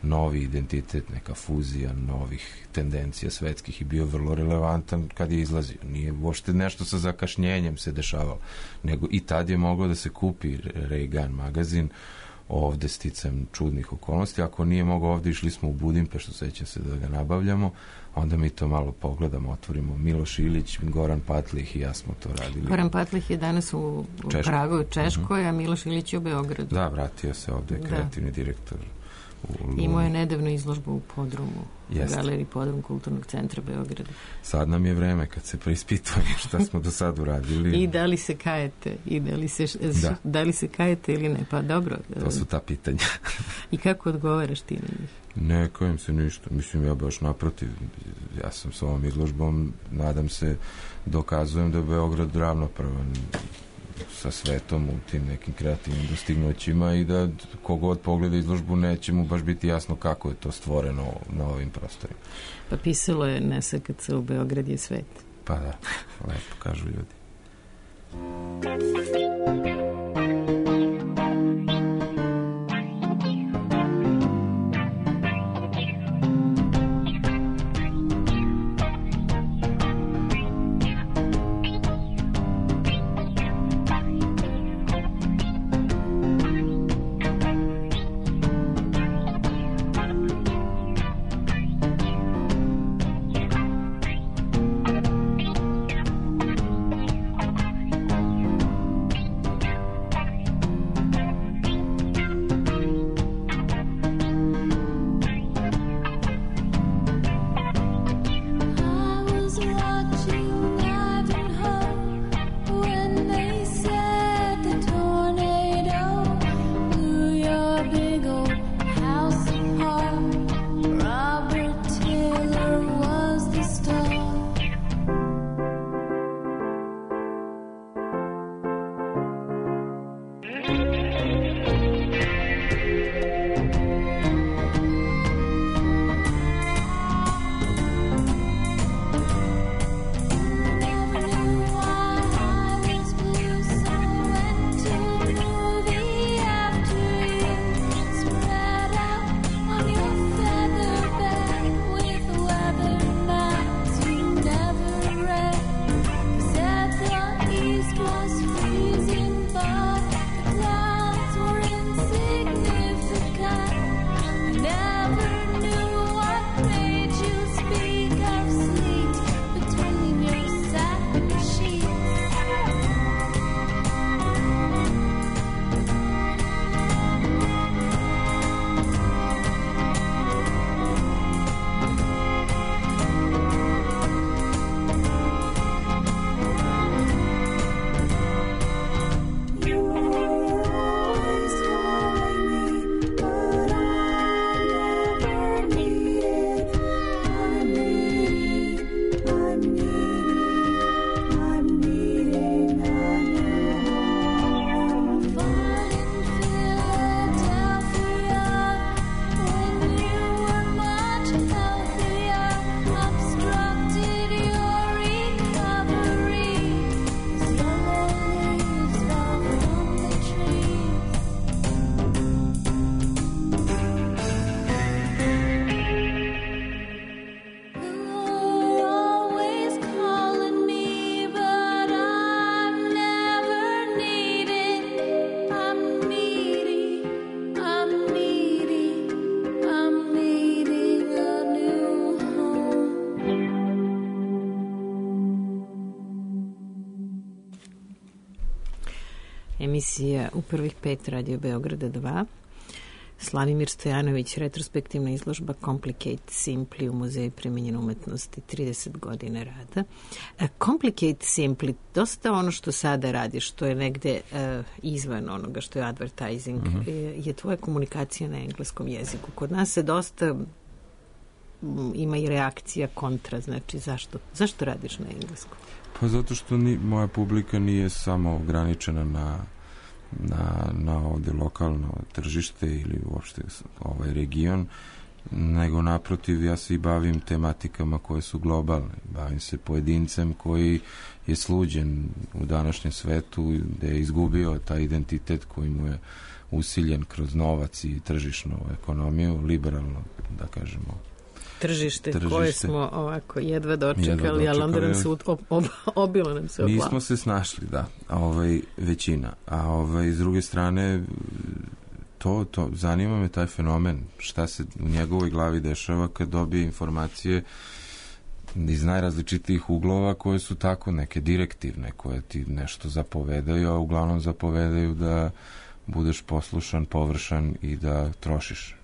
novi identitet, neka fuzija novih tendencija svetskih i bio vrlo relevantan kad je izlazio. Nije uopšte nešto sa zakašnjenjem se dešavalo, nego i tad je moglo da se kupi Ray-Gun magazin ovde sticam čudnih okolnosti. Ako nije mogao ovde, išli smo u Budimpeštu, sećam se da ga nabavljamo, onda mi to malo pogledamo, otvorimo. Miloš Ilić, Goran Patlih i ja smo to radili. Goran Patlih je danas u Pragu, u Češkoj, a Miloš Ilić je u Beogradu. Da, vratio se ovde, kreativni direktor. Imao je nedavno izložbu u Podrumu, u galeriji Podrum Kulturnog centra Beograda. Sad nam je vreme kad se preispitujemo šta smo do sad uradili. I da li se kajete, i da li se kajete ili ne, pa dobro. To su ta pitanja. I kako odgovaraš ti na njih? Ne kajem se ništa, mislim ja baš naprotiv, ja sam s ovom izložbom, nadam se, dokazujem da je Beograd ravnopravan sa svetom u tim nekim kreativnim dostignućima i da kogod pogleda izložbu neće mu baš biti jasno kako je to stvoreno na ovim prostorima. Pa pisalo je na SKC u Beograd je svet. Pa da, lepo kažu ljudi. Emisija u prvih 5 Radio Beograda 2. Slavimir Stojanović, retrospektivna izložba Complicate Simply u Muzeju primenjene umetnosti, 30 godina rada. Complicate Simply, dosta ono što sada radiš, što je negde izvan onoga što je advertising, je tvoja komunikacija na engleskom jeziku. Kod nas se dosta ima i reakcija kontra, znači zašto radiš na engleskom? Pa zato što moja publika nije samo ograničena na ovde lokalno tržište ili uopšte ovaj region, nego naprotiv ja se i bavim tematikama koje su globalne. Bavim se pojedincem koji je sluđen u današnjem svetu, gde je izgubio taj identitet koji mu je usiljen kroz novac i tržišnu ekonomiju, liberalno, da kažemo, tržište koje smo ovako jedva dočekali, ali onda nam se obilo nam se obla. Nismo se snašli, da, većina. A s druge strane, to zanima me taj fenomen, šta se u njegovoj glavi dešava kad dobije informacije iz najrazličitijih uglova koje su tako neke direktivne, koje ti nešto zapovedaju, a uglavnom zapovedaju da budeš poslušan, površan i da trošiš.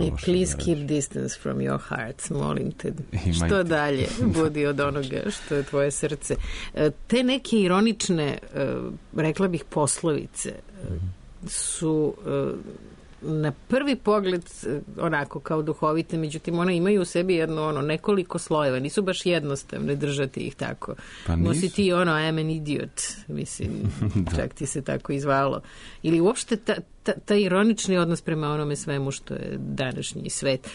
I please keep distance from your hearts, molim te. Što dalje budi od onoga što je tvoje srce. Te neke ironične, rekla bih, poslovice su na prvi pogled onako kao duhovite, međutim one imaju u sebi jedno nekoliko slojeva, nisu baš jednostavne držati ih tako. Pa nosi ti I'm an idiot, mislim, čak ti se tako izvalo. Ili uopšte ta ironični odnos prema onome svemu što je današnji svet.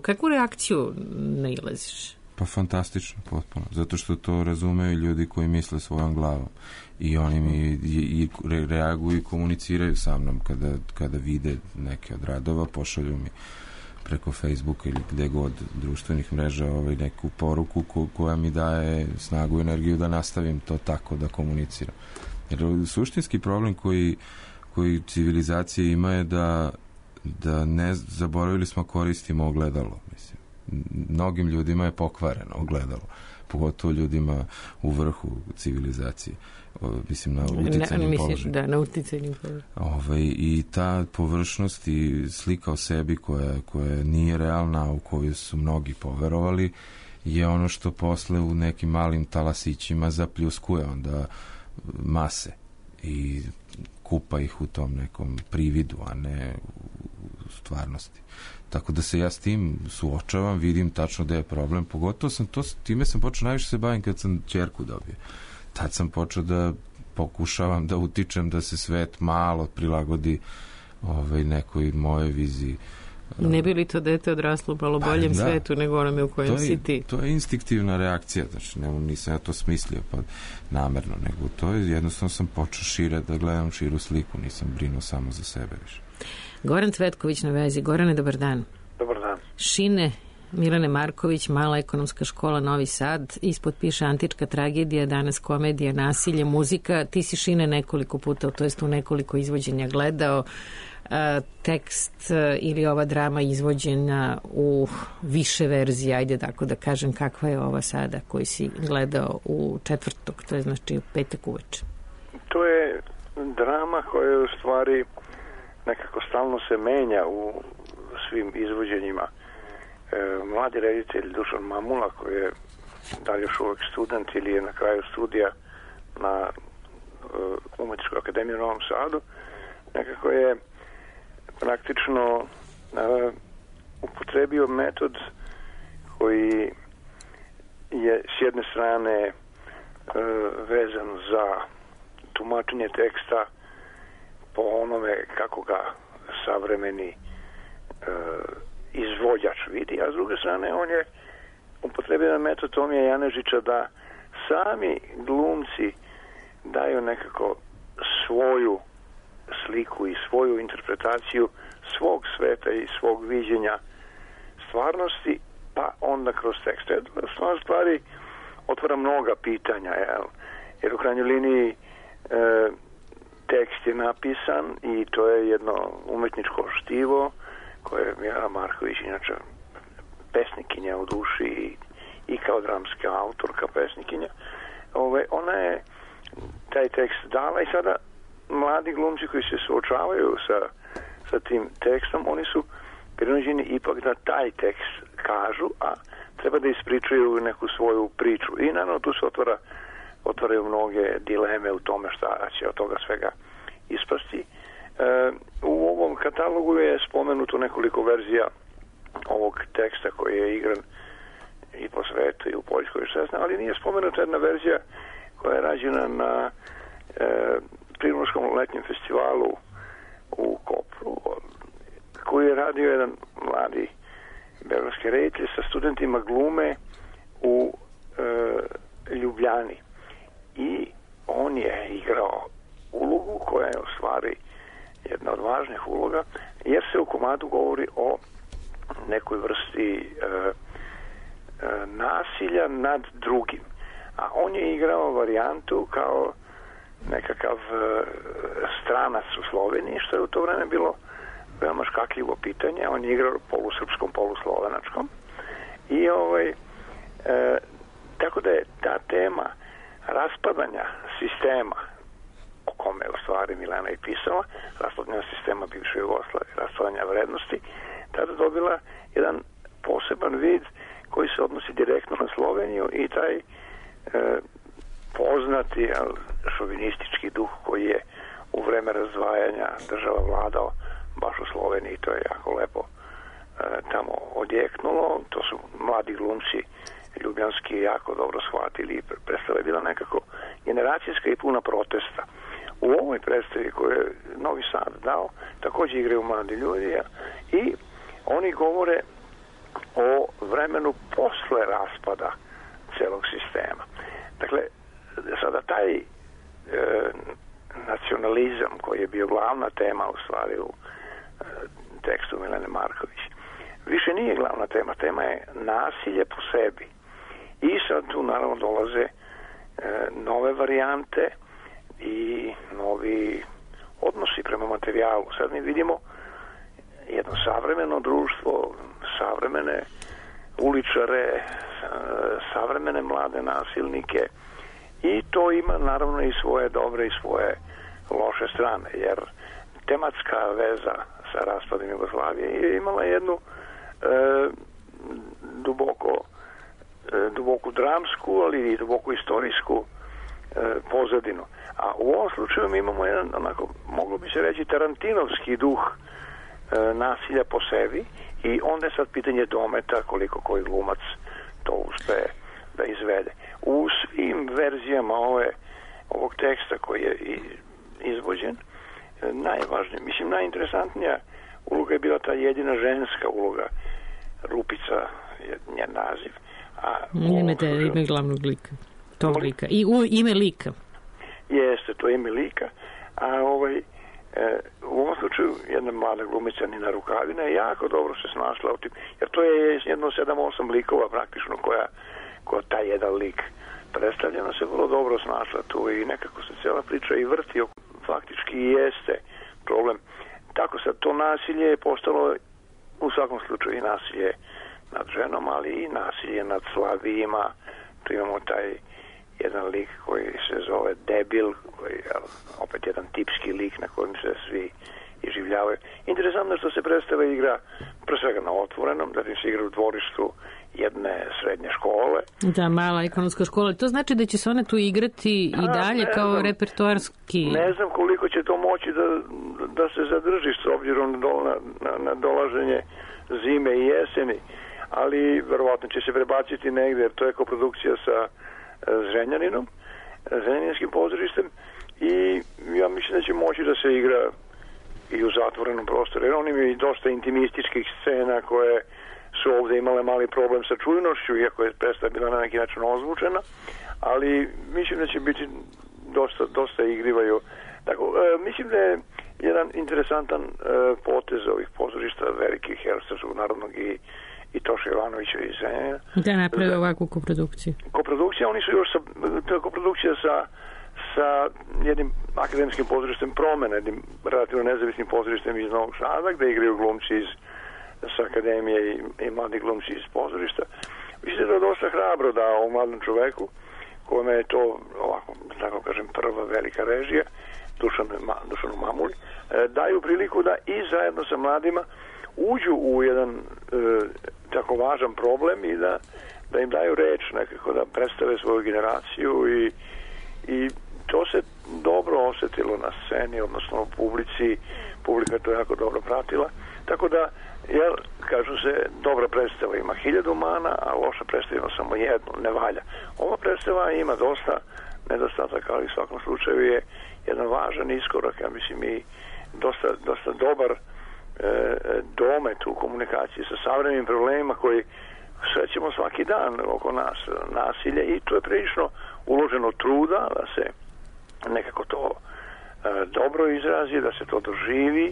Kakvu reakciju nailaziš? Pa fantastično, potpuno. Zato što to razumeju ljudi koji misle svojom glavom. I oni mi reaguju i komuniciraju sa mnom kada vide neke od radova, pošalju mi preko Facebooka ili gde god društvenih mreža neku poruku koja mi daje snagu i energiju da nastavim to tako da komuniciram. Jer suštinski problem koji civilizacija ima je da ne zaboravili smo koristimo ogledalo, mislim. Mnogim ljudima je pokvareno ogledalo, pogotovo ljudima u vrhu civilizacije, mislim na uticajnim položaju. Da, na uticajnim položaju. I ta površnost i slika o sebi koja nije realna, u koju su mnogi poverovali, je ono što posle u nekim malim talasićima zapljuskuje onda mase i kupa ih u tom nekom prividu, a ne u stvarnosti. Tako da se ja s tim suočavam, vidim tačno da je problem, pogotovo time sam počeo najviše se bavim kad sam ćerku dobio. Tad sam počeo da pokušavam da utičem da se svet malo prilagodi nekoj moje viziji. Ne bi li to dete odraslo u malo boljem svetu nego onome u kojem si ti? To je instinktivna reakcija, znači nisam ja to smislio namerno, nego to je jednostavno sam počeo šire da gledam širu sliku, nisam brinuo samo za sebe više. Goran Cvetković na vezi. Gorane, dobar dan. Dobar dan. Šine Milane Marković, Mala ekonomska škola Novi Sad, ispod piše antička tragedija, danas komedija, nasilje, muzika. Ti si Šine nekoliko puta, to jest u nekoliko izvođenja gledao. Tekst ili ova drama izvođena u više verzije, ajde tako da kažem, kakva je ova sada koju si gledao u četvrtok, to je znači u petak uveče? To je drama koja je u stvari nekako stalno se menja u svim izvođenjima. Mladi reditelj Dušan Mamula, koji je da li još uvek student ili je na kraju studija na Umetničkoj akademiji u Novom Sadu, nekako je praktično upotrebio metod koji je s jedne strane vezan za tumačenje teksta po onome kako ga savremeni izvođač vidi, a s druge strane on je upotrebio metod Tomija Janežića da sami glumci daju nekako svoju sliku i svoju interpretaciju svog sveta i svog viđenja stvarnosti, pa onda kroz tekst. To stvari otvara mnoga pitanja, jer u krajnjoj liniji tekst je napisan i to je jedno umetničko štivo koje je Mira Marković, inače pesnikinja u duši i kao dramska autorka pesnikinja. Ona je taj tekst dala i sada mladi glumci koji se suočavaju sa sa tim tekstom, oni su prinuđeni ipak da taj tekst kažu, a treba da ispričaju neku svoju priču. I naravno tu se otvaraju mnoge dileme u tome šta će od toga svega ispasti. U ovom katalogu je spomenuto nekoliko verzija ovog teksta koji je igran i po svetu i u Poljskoj, ali nije spomenuta jedna verzija koja je rađena na Primorskom letnjem festivalu u Kopru, koji je radio jedan mladi beogradski reditelj sa studentima glume u Ljubljani. I on je igrao ulogu koja je u stvari jedna od važnih uloga, jer se u komadu govori o nekoj vrsti nasilja nad drugim. A on je igrao varijantu kao nekakav stranac u Sloveniji, što je u to vreme bilo veoma škakljivo pitanje. On je igrao polusrpskom, poluslovenačkom. I tako da je ta tema raspadanja sistema, o kome je u stvari Milena i pisala, raspadanja sistema bivše Jugoslavije, raspadanja vrednosti, tada dobila jedan poseban vid koji se odnosi direktno na Sloveniju i taj poznati šovinistički duh koji je u vreme razdvajanja država vladao baš u Sloveniji. To je jako lepo tamo odjeknulo. To su mladi glumci ljubljanski jako dobro shvatili i predstava je bila nekako generacijska i puna protesta. U ovoj predstavi koju je Novi Sad dao također igraju mladi ljudi i oni govore o vremenu posle raspada celog sistema. Dakle, sada taj nacionalizam koji je bio glavna tema u stvari u tekstu Milene Marković više nije glavna tema. Tema je nasilje po sebi. I sad tu naravno dolaze nove varijante i novi odnosi prema materijalu. Sad mi vidimo jedno savremeno društvo, savremene uličare, savremene mlade nasilnike i to ima naravno i svoje dobre i svoje loše strane, jer tematska veza sa raspadom Jugoslavije je imala jednu duboku dramsku, ali i duboku istorijsku pozadinu. A u ovom slučaju mi imamo jedan, onako, moglo bi se reći, tarantinovski duh nasilja po sebi i onda je sad pitanje dometa koliko koji glumac to uspe da izvede. U svim verzijama ovog teksta koji je izvođen, najvažnije, mislim najinteresantnija uloga je bila ta jedina ženska uloga, Rupica je njen naziv. Ime glavnog lika. Tog lika. I ime lika. Jeste, to je ime lika. A u ovom slučaju jedna mlada glumica Nina Rukavina je jako dobro se snašla u tim, jer to je jedno 7-8 likova praktično koja taj jedan lik predstavljeno se vrlo dobro snašla tu i nekako se cijela priča i vrti, faktički i jeste problem. Tako sad to nasilje je postalo u svakom slučaju i nasilje nad ženom, ali i nasilje nad slabijima. Tu imamo taj jedan lik koji se zove Debil, koji je opet jedan tipski lik na kojem se svi iživljavaju. Interesantno što se predstava igra pre svega na otvorenom, da se igra u dvorištu jedne srednje škole. Da, mala ekonomska škola. To znači da će se one tu igrati i dalje kao repertoarski? Ne znam koliko će to moći da se zadrži s obzirom na dolaženje zime i jeseni, ali verovatno će se prebaciti negde, jer to je koprodukcija sa Zrenjaninom, Zrenjaninskim pozorištem i ja mislim da će moći da se igra i u zatvorenom prostoru, jer on ima i dosta intimističkih scena koje su ovdje imale mali problem sa čujnošću, iako je predstava bila na neki način ozvučena, ali mislim da će biti dosta igrivaju. Tako, mislim da je jedan interesantan potez ovih pozorišta velikih Hercegovskog narodnog i Toša Jovanovića iz Zrenjanina. Da naprave ovakvu koprodukciju. Koprodukcija, oni su još koprodukcija sa jednim akademskim pozorištem Promene, jednim relativno nezavisnim pozorištem iz Novog Sada, gde igraju glumci sa akademije i mladi glumci iz pozorišta. Mislim da je dosta hrabro da ovom mladom čoveku, kome je to, ovako, tako kažem, prva velika režija, Dušanu Mamuli, daju priliku da i zajedno sa mladima uđu u jedan tako važan problem i da im daju reč nekako, da predstave svoju generaciju i to se dobro osjetilo na sceni, odnosno u publici. Publika to jako dobro pratila, tako da kažu se, dobra predstava ima 1000 mana, a loša predstava ima samo jednu, ne valja. Ova predstava ima dosta nedostataka, ali u svakom slučaju je jedan važan iskorak, ja mislim, i dosta dobar domet u komunikaciji sa savremenim problemima koji srećemo svaki dan oko nas, nasilje, i to je prilično uloženo truda da se nekako to dobro izrazi, da se to doživi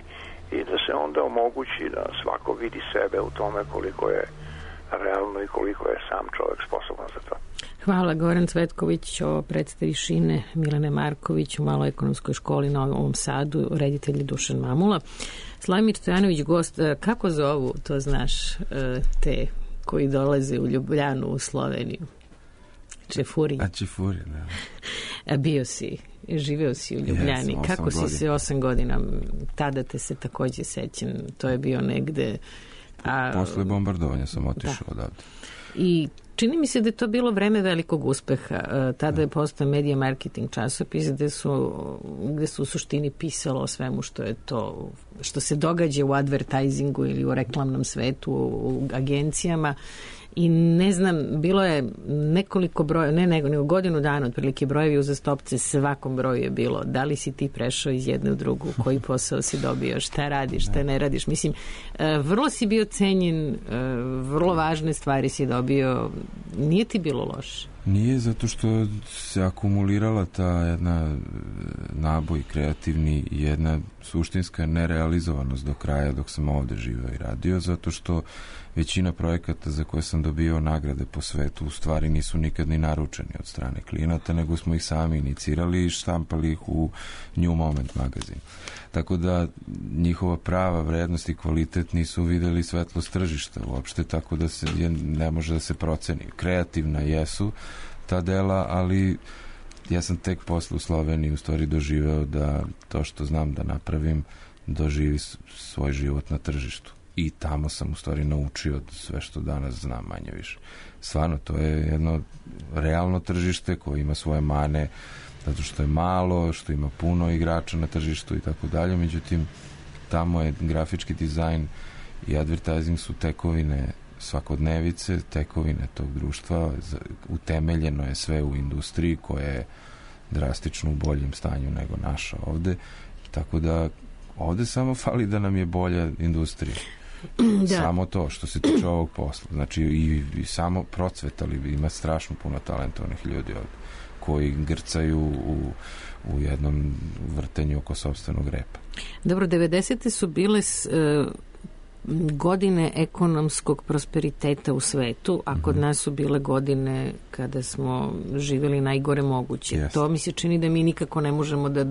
i da se onda omogući da svako vidi sebe u tome koliko je realno i koliko je sam čovjek sposoban za to. Hvala. Goran Cvetković o predstavi Šine Milene Marković u Maloj ekonomskoj školi na Novom Sadu, reditelj Dušan Mamula. Slavimir Stojanović, gost. Kako zovu, to znaš, te koji dolaze u Ljubljanu, u Sloveniju? Čefuri. Čefuri, da. Bio si, živeo si u Ljubljani. Kako si se 8 godina? Tada te se takođe sećam. To je bio negde... Posle bombardovanja sam otišao odavde. I čini mi se da je to bilo vreme velikog uspeha. Tada je postao Media Marketing časopis gde su u suštini pisalo o svemu što je to, što se događa u advertisingu ili u reklamnom svetu, u agencijama. I ne znam, bilo je nekoliko broja, nego godinu dana otprilike brojevi uzastopce, svakom broju je bilo da li si ti prešao iz jedne u drugu, koji posao si dobio, šta radiš, šta ne radiš. Mislim, vrlo si bio cenjen, vrlo važne stvari si dobio, nije ti bilo loše? Nije, zato što se akumulirala ta jedna naboj kreativni i jedna suštinska nerealizovanost do kraja dok sam ovde živeo i radio, zato što većina projekata za koje sam dobio nagrade po svetu u stvari nisu nikad ni naručeni od strane klijenata, nego smo ih sami inicirali i štampali ih u New Moment magazin. Tako da njihova prava vrednost i kvalitet nisu videli svetlost tržišta uopšte, tako da se ne može da se proceni. Kreativna jesu ta dela, ali ja sam tek posle u Sloveniji u stvari doživeo da to što znam da napravim doživi svoj život na tržištu. I tamo sam u stvari naučio sve što danas znam manje više. Stvarno, to je jedno realno tržište koje ima svoje mane, zato što je malo, što ima puno igrača na tržištu i tako dalje. Međutim, tamo je grafički dizajn i advertising su tekovine svakodnevice, tekovine tog društva. Utemeljeno je sve u industriji koja je drastično u boljem stanju nego naša ovde. Tako da ovde samo fali da nam je bolja industrija. Da. Samo to što se tiče ovog posla. Znači i samo procvetali, ima strašno puno talentovnih ljudi ovde koji grcaju u jednom vrtenju oko sopstvenog repa. Dobro, 90. su bile godine ekonomskog prosperiteta u svetu, a kod nas su bile godine kada smo živjeli najgore moguće. Yes. To mi se čini da mi nikako ne možemo da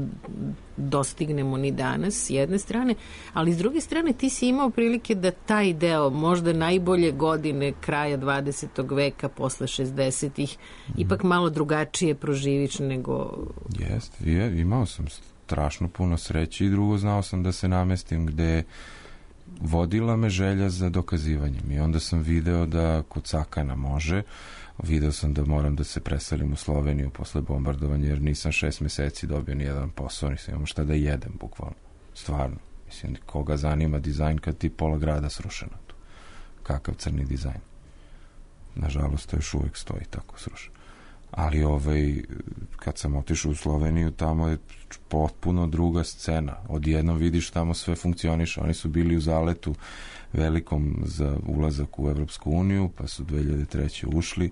dostignemo ni danas, s jedne strane, ali s druge strane ti si imao prilike da taj deo, možda najbolje godine kraja 20. veka, posle 60-ih, ipak malo drugačije proživiš nego... Jeste, imao sam strašno puno sreće i drugo, znao sam da se namestim gde vodila me želja za dokazivanjem i onda sam video da kod Sakana može, video sam da moram da se preselim u Sloveniju posle bombardovanja jer nisam 6 meseci dobio ni jedan posao, nisam imao šta da jedem bukvalno, stvarno, mislim, koga zanima dizajn kad ti pola grada srušeno tu, kakav crni dizajn, nažalost to još uvek stoji tako srušeno, ali kad sam otišao u Sloveniju, tamo je potpuno druga scena. Odjednom vidiš tamo sve funkcioniše. Oni su bili u zaletu velikom za ulazak u Evropsku uniju, pa su 2003. ušli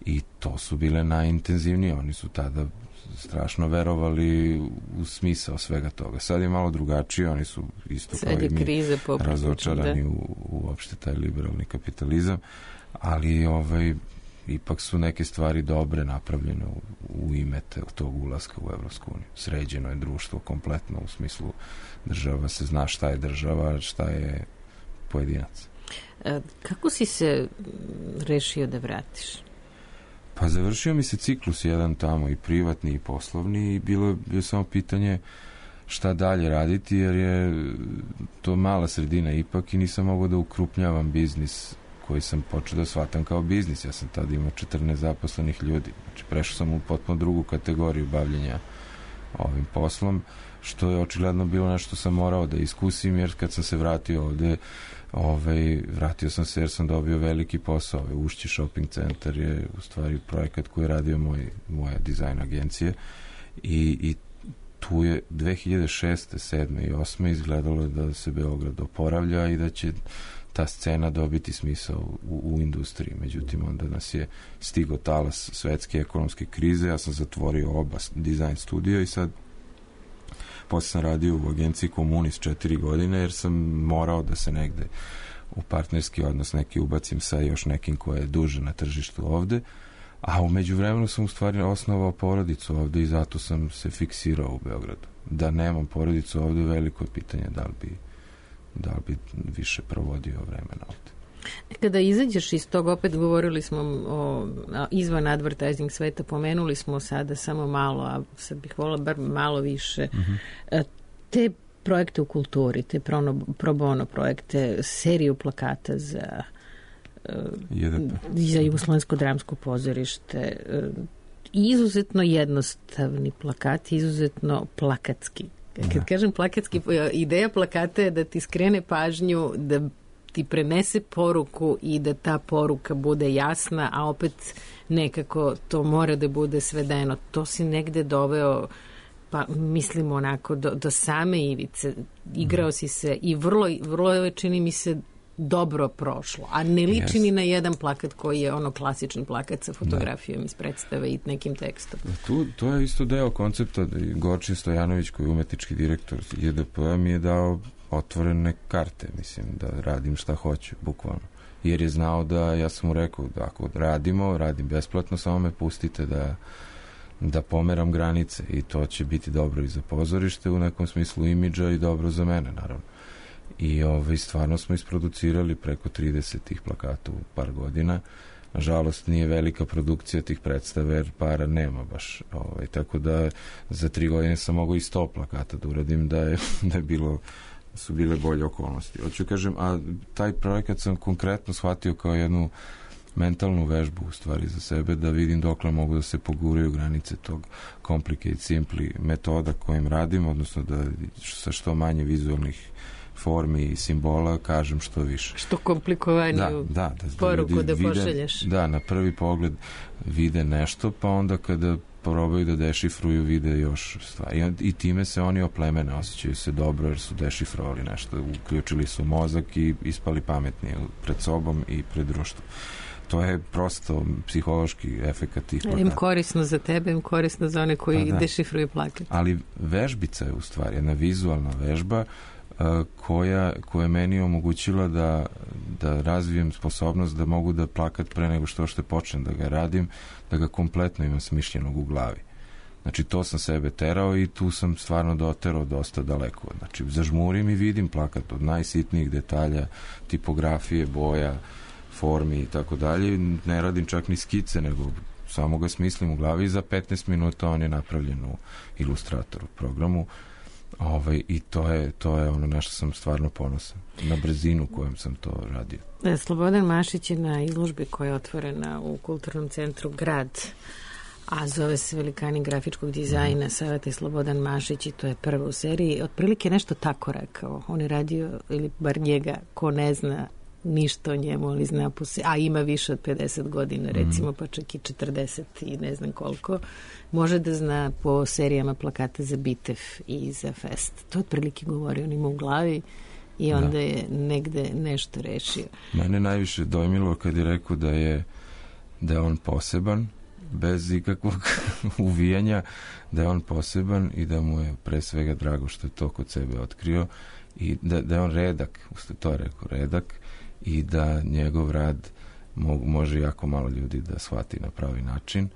i to su bile najintenzivnije. Oni su tada strašno verovali u smisao svega toga. Sad je malo drugačije, oni su isto kao i mi razočarani u uopšte taj liberalni kapitalizam, ali ipak su neke stvari dobre napravljene u ime tog ulaska u Evropsku uniju. Sređeno je društvo kompletno u smislu država, se zna šta je država, šta je pojedinac. Kako si se rešio da vratiš? Pa završio mi se ciklus jedan tamo, i privatni i poslovni, i bilo je samo pitanje šta dalje raditi, jer je to mala sredina ipak i nisam mogao da ukrupnjavam biznis koji sam počeo da shvatam kao biznis. Ja sam tada imao 14 zaposlenih ljudi. Znači, prešao sam u potpuno drugu kategoriju bavljenja ovim poslom, što je očigledno bilo nešto sam morao da iskusim, jer kad sam se vratio ovde, vratio sam se jer sam dobio veliki posao. Ušći shopping centar je u stvari projekat koji je radio moja dizajn agencije i tu je 2006. 7. i 8. izgledalo da se Beograd oporavlja i da će ta scena dobiti smisao u industriji. Međutim, onda nas je stigao talas svetske ekonomske krize, ja sam zatvorio oba dizajn studija i sad posle sam radio u agenciji Komunist 4 godine, jer sam morao da se negde u partnerski odnos neki ubacim sa još nekim ko je duže na tržištu ovde, a umeđu vremenu sam u stvari osnovao porodicu ovde i zato sam se fiksirao u Beogradu. Da nemam porodicu ovde, veliko je pitanje da li bi više provodio vremena ovde. Kada izađeš iz tog, opet govorili smo o izvan advertising sveta, pomenuli smo sada samo malo, a sad bih volila bar malo više. Te projekte u kulturi, te pro bono projekte, seriju plakata za Jugoslovensko dramsko pozorište, izuzetno jednostavni plakati, izuzetno plakatski. Kad kažem plakatski, ideja plakata je da ti skrene pažnju, da ti prenese poruku i da ta poruka bude jasna, a opet nekako to mora da bude svedeno. To si negde doveo, pa mislim onako, do same ivice. Igrao si se i vrlo je, čini mi se, dobro prošlo, a ne liči ni na jedan plakat koji je ono klasičan plakat sa fotografijom iz predstave i nekim tekstom. To je isto deo koncepta. Gorčin Stojanović, koji je umetnički direktor JDP-a, mi je dao otvorene karte, mislim, da radim šta hoću, bukvalno. Jer je znao da, ja sam mu rekao, da ako radim besplatno, samo me pustite da pomeram granice i to će biti dobro i za pozorište u nekom smislu imidža i dobro za mene, naravno. I stvarno smo isproducirali preko 30 tih plakata u par godina. Nažalost, nije velika produkcija tih predstava, jer para nema baš. Tako da za 3 godine sam mogao i 100 plakata da uradim, da su bile bolje okolnosti. Hoću kažem, a taj projekat sam konkretno shvatio kao jednu mentalnu vežbu u stvari za sebe, da vidim dokle mogu da se poguraju granice tog complicate simply metoda kojim radim, odnosno da sa što manje vizualnih formi i simbola kažem što više. Što komplikovaniju poruku da pošalješ. Da, na prvi pogled vide nešto, pa onda kada probaju da dešifruju, vide još stvari. I time se oni oplemene, osjećaju se dobro jer su dešifrovali nešto, uključili su mozak i ispali pametni pred sobom i pred društvom. To je prosto psihološki efekat tih plakata. Im korisno za tebe, im korisno za one koji dešifruju plakat. Ali vežbica je u stvari jedna vizualna vežba koja je meni omogućila da razvijem sposobnost da mogu da plakat pre nego što počnem da ga radim, da ga kompletno imam smišljenog u glavi. Znači, to sam sebe terao i tu sam stvarno doterao dosta daleko. Znači, zažmurim i vidim plakat od najsitnijih detalja, tipografije, boja, formi i tako dalje. Ne radim čak ni skice, nego samo ga smislim u glavi i za 15 minuta on je napravljen u Illustratoru programu. I to je ono na što sam stvarno ponosan. Na brzinu kojom sam to radio. Slobodan Mašić je na izložbi koja je otvorena u Kulturnom centru Grad, a zove se Velikani grafičkog dizajna, Savete Slobodan Mašić, i to je prva u seriji. Otprilike nešto tako rekao. On je radio, ili bar njega, ko ne zna ništa o njemu, ali zna a ima više od 50 godina, recimo, pa čak i 40 i ne znam koliko, može da zna po serijama plakata za Bitev i za Fest. To otprilike govori, on ima u glavi i onda je negde nešto rešio. Mene najviše dojmilo kad je rekao da je on poseban, bez ikakvog uvijanja, da je on poseban i da mu je pre svega drago što je to kod sebe otkrio i da je on redak, to je rekao, redak, i da njegov rad može jako malo ljudi da shvati na pravi način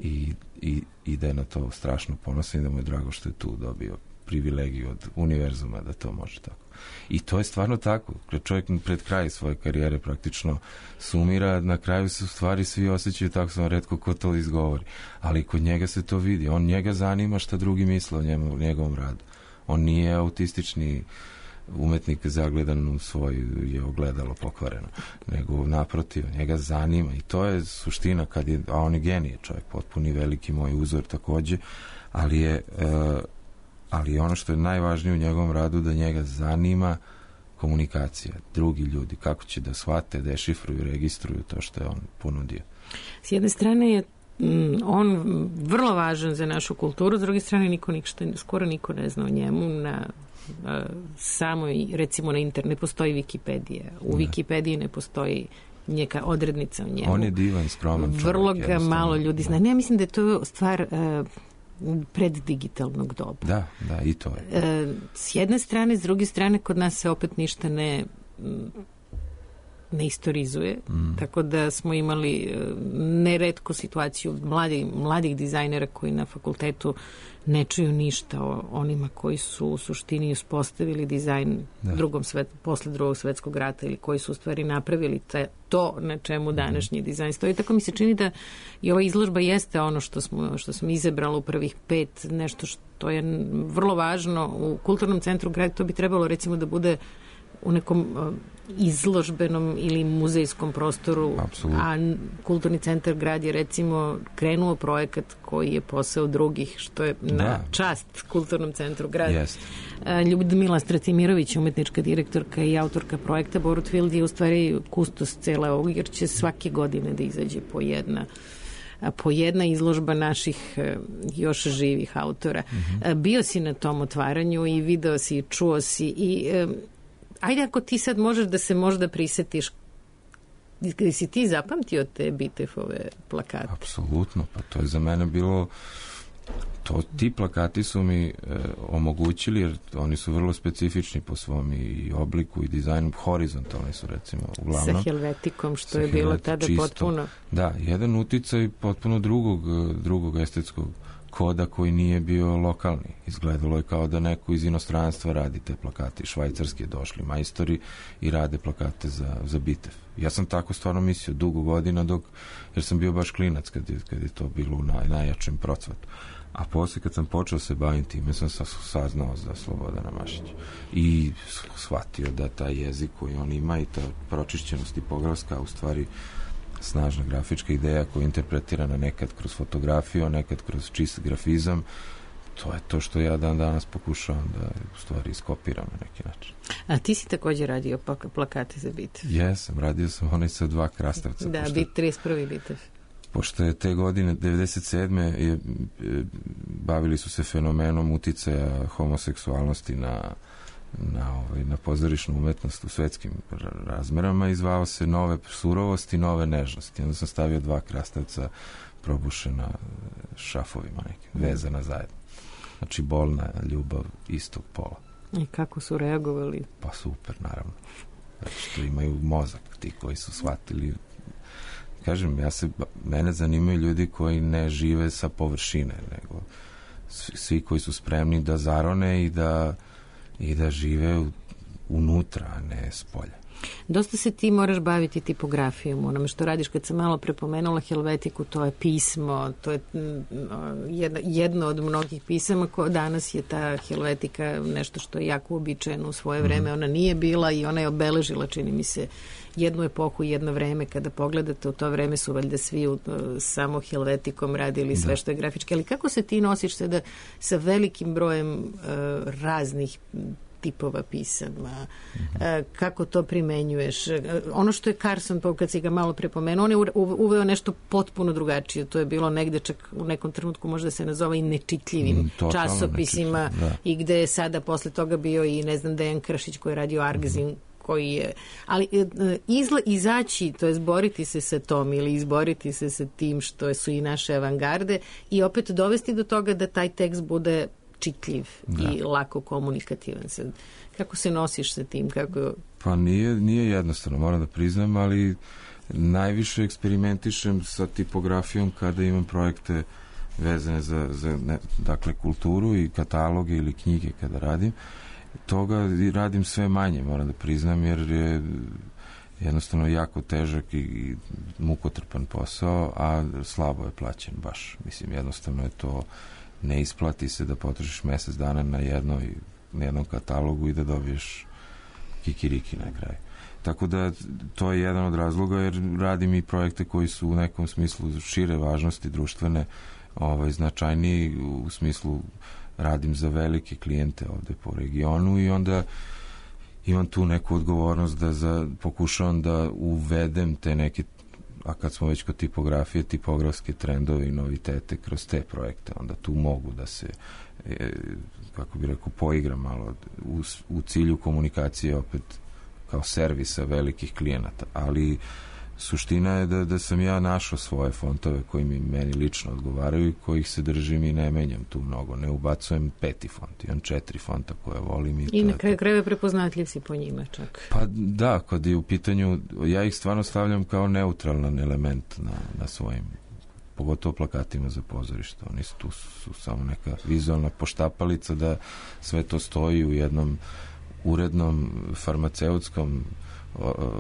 i da je na to strašno ponosan i da mu je drago što je tu dobio privilegiju od univerzuma da to može tako. I to je stvarno tako. Kad čovjek pred kraj svoje karijere praktično sumira, na kraju se u stvari svi osjećaju tako, samo retko ko to izgovori. Ali kod njega se to vidi. Njega zanima šta drugi misle o njegovom radu. On nije autistični umetnik zagledan u svoju je ogledalo pokvareno, nego naprotiv, njega zanima i to je suština a on je genije čovjek, potpuni veliki moj uzor takođe, ali ono što je najvažnije u njegovom radu da njega zanima komunikacija, drugi ljudi, kako će da shvate, dešifruju, registruju to što je on ponudio. S jedne strane je on vrlo važan za našu kulturu, s druge strane skoro niko ne zna o njemu recimo na internetu ne postoji Wikipedija. U Wikipediji ne postoji neka odrednica o njemu. On je divan, skroman čovjek. Vrlo ga malo ljudi zna. Ne, ja mislim da je to stvar preddigitalnog doba. Da, i to je. S jedne strane, s druge strane, kod nas se opet ništa ne istorizuje, tako da smo imali neretko situaciju mladih dizajnera koji na fakultetu ne čuju ništa o onima koji su u suštini uspostavili dizajn posle drugog svetskog rata ili koji su u stvari napravili to na čemu današnji dizajn stoji. Tako mi se čini da i ova izložba jeste ono što smo izabrali u prvih 5, nešto što je vrlo važno u kulturnom centru grada. To bi trebalo recimo da bude u nekom izložbenom ili muzejskom prostoru. Absolutno. A kulturni centar grad je recimo krenuo projekat koji je posao drugih, što je na čast kulturnom centru grad. Ljudmila Stratimirović, umetnička direktorka i autorka projekta Borutfield je u stvari kustos cele ovog, jer će svake godine da izađe po jedna izložba naših još živih autora. Bio si na tom otvaranju i video si i čuo si i ajde ako ti sad možeš da se možda prisetiš, si ti zapamtio te Bitefove plakate? Apsolutno, pa to je za mene bilo ti plakati su mi omogućili, jer oni su vrlo specifični po svom i obliku i dizajnu, horizontalni su recimo uglavnom. Sa helvetikom, što je bilo tada čisto, potpuno. Da, jedan uticaj potpuno drugog estetskog koda koji nije bio lokalni. Izgledalo je kao da neko iz inostranstva radi te plakate. Švajcarski je došli majstori i rade plakate za Bitev. Ja sam tako stvarno mislio dugo godina jer sam bio baš klinac kad je to bilo u najjačem procvatu. A posle kad sam počeo se baviti time sam saznao za Slobodana Mašića i shvatio da taj jezik koji on ima i ta pročišćenost tipografska u stvari snažna grafička ideja koja je interpretirana nekad kroz fotografiju, a nekad kroz čist grafizam. To je to što ja danas pokušavam da u stvari iskopiram na neki način. A ti si također radio plakate za Bitev? Jesam, radio sam onaj sa 2 krastavca. Da, 31. Bitev. Pošto je te godine, 97. Bavili su se fenomenom uticaja homoseksualnosti na pozorišnu umetnost u svetskim razmerama i zvao se Nove surovosti i Nove nežnosti. Onda sam stavio 2 krastavca probušena šafovima nekim, vezana zajedno. Znači bolna ljubav istog pola. I kako su reagovali? Pa super, naravno. Zato što imaju mozak, ti koji su shvatili. Kažem, mene zanimaju ljudi koji ne žive sa površine, nego svi koji su spremni da zarone i da žive unutra, a ne s polja. Dosta se ti moraš baviti tipografijom, onome što radiš. Kad sam malo prepomenula Helvetiku, to je pismo, to je jedno od mnogih pisama danas je ta Helvetika nešto što je jako uobičajeno u svoje vreme. Ona nije bila i ona je obeležila, čini mi se, jednu epohu, jedno vreme. Kada pogledate, u to vreme su valjda svi samo Helvetikom radili sve što je grafički. Ali kako se ti nosiš sada sa velikim brojem raznih tipova pisama, kako to primenjuješ? Ono što je Carson, kad si ga malo prepomenuo, on je uveo nešto potpuno drugačije. To je bilo negde čak u nekom trenutku možda se nazove i nečitljivim časopisima i gde je sada posle toga bio i ne znam Dejan Kršić koji je radio Argzin, koji je, ali izaći, to je zboriti se sa tom ili izboriti se sa tim što su i naše avangarde i opet dovesti do toga da taj tekst bude čitljiv i lako komunikativan. Kako se nosiš sa tim? Pa nije jednostavno, moram da priznam, ali najviše eksperimentišem sa tipografijom kada imam projekte vezane za dakle, kulturu i kataloge ili knjige kada radim. Toga radim sve manje, moram da priznam, jer je jednostavno jako težak i mukotrpan posao, a slabo je plaćen baš. Mislim, jednostavno je to, ne isplati se da potrošiš mesec dana na jednom katalogu i da dobiješ kikiriki na kraju. Tako da to je jedan od razloga, jer radim i projekte koji su u nekom smislu šire važnosti društvene, značajniji u smislu radim za velike klijente ovde po regionu i onda imam tu neku odgovornost da pokušavam da uvedem te neke, a kad smo već kod tipografije, tipografske trendove i novitete kroz te projekte, onda tu mogu da se, kako bih rekao, poigram malo u cilju komunikacije opet kao servisa velikih klijenata, ali suština je da sam ja našao svoje fontove koji meni lično odgovaraju i kojih se držim i ne menjam tu mnogo. Ne ubacujem 5. font, imam 4 fonta koje volim. I na kraju krajeva prepoznatljiv si po njima čak. Pa da, kad je u pitanju, ja ih stvarno stavljam kao neutralan element na svojim, pogotovo plakatima za pozorište. Oni tu su samo neka vizualna poštapalica da sve to stoji u jednom urednom farmaceutskom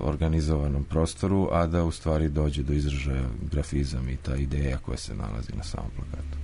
organizovanom prostoru, a da u stvari dođe do izražaja grafizam i ta ideja koja se nalazi na samom plakatu.